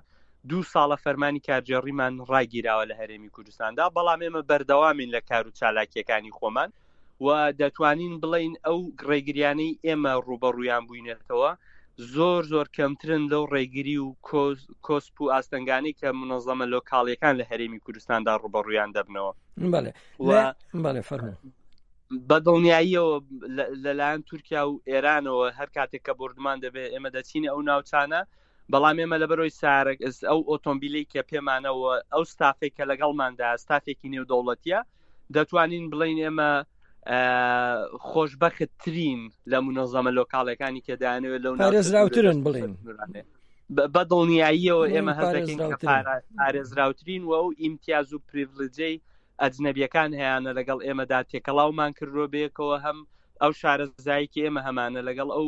دوو ساڵە فەرمانی کارگێڕیمان ڕاگیراوە لە هەرێمی کوردستاندا بەڵام ئێمە بەردەوامین لە کار و چالاکیەکانی خۆمان و دەتوانین بڵین ئەو ڕێگریانەی ئێمە ڕوبەڕوویان بووینەتەوە زۆر زۆر کەمترن لەو ڕێگری و کۆسپ و ئاستەنگانی کە منەزەمە لۆکاڵیەکان لە هەرێمی کوردستاندا ڕوبەڕوویان دەبنەوە بەڵێ فەرموو بە دڵنیاییەوە لەلایەن تورکیا و ئێرانەوە هەر کاتێک کە بردمان دەبێت ئێمە دەچینە ئەو ناوچانە بەڵام ئێمە لەبەرەوەی سارەک ئەو ئۆتۆمبیلی کە پێمانەوە ئەو ستافێک کە لەگەڵماندا ستافێکی نێودەوڵەتیە دەتوانین بڵین ئێمە خۆشبەختترین لە منەزەمە لۆکاڵەکانی کە دایانەوێت لەو پارێزراوترن بڵێن بە دڵنیاییەوە ئێمە هەزەکەین کە پارێزراوترین و ئەو ئیمتیاز و پریڤلجەی ئەجنەبیەکان هەیانە لەگەڵ ئێمەدا تێکەڵاومان کردووە بەیەکەوە هەم ئەو شارەزایی کە ئێمە هەمانە لەگەڵ ئەو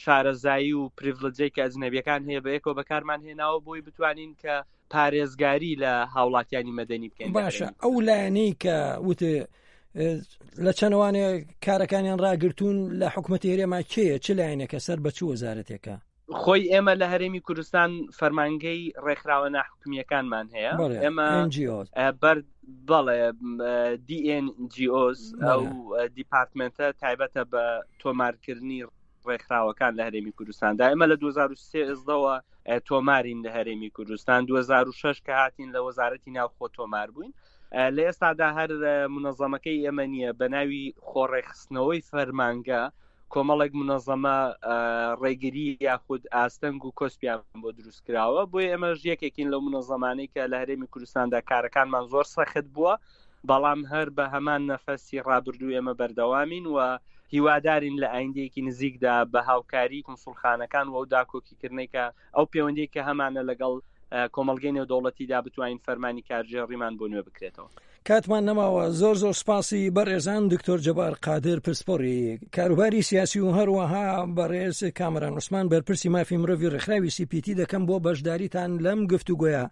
شارەزایی و پریڤلجەی کە ئەجنەبیەکان هەیە بەیەکەوە بەکارمان هێناوە بۆی بتوانین کە پارێزگاری لە هاوڵاتیانی مەدەنی بکەین باشە ئەو لایەنەی کە وتێ لە چەنەوانێ کارەکانیان ڕاگرتوون لە حکوومەتی هەرێما کێیە چ لایەنێکە سەر بە چ وەزارەتێکە خۆی ئێمە لە هەرێمی کوردستان فەرمانگەی ڕێکخراوە ناحکومیەکانمان هەیە ئێمە بەر بەڵێ DNGOs ئەو دیپارتمنتە تایبەتە بە تۆمارکردنی ڕێکخراوەکان لە هەرێمی کوردستاندا ئێمە لە 2013ەوە تۆمارین لە هەرێمی کوردستان 2006 کە هاتین لە وەزارەتی ناوخۆ تۆمار بووین لە ئێستادا هەر منەظەمەکەی ئێمە نییە بە ناوی خۆڕێکخستنەوەی فەرمانگە کۆمەڵێک منەظەمە ڕێگری یاخود ئاستەنگ و کۆسپیان بۆ دروست کراوە بۆیە ئێمەش یەکێکین لەو منەظەمانەی کە لە هەرێمی کوردستاندا کارەکانمان زۆر سەخت بووە بەڵام هەر بە هەمان نەفەسی ڕابردوو ئێمە بەردەوامین و هیوادارین لە ئایندەیەکی نزیکدا بە هاوکاری کونسوڵخانەکان و ئەو داکۆکیکردنەی کە ئەو پەیوەندی کە هەمانە لەگەڵ کۆمەڵگەی نێودەوڵەتیدا بتوانین فەرمانی کارگێڕیمان بۆ نوێ بکرێتەوە. کاتمان نەماوە زۆر زۆر سپاسی بەڕێزان دکتۆر جەبار قادر پسپۆڕی کاروباری سیاسی و هەروەها بەڕێز کامەران عوسمان بەرپرسی مافی مرۆڤی ڕێکخراوی سیپیتی دەکەم بۆ بەشداریتان لەم گفتوگۆیە.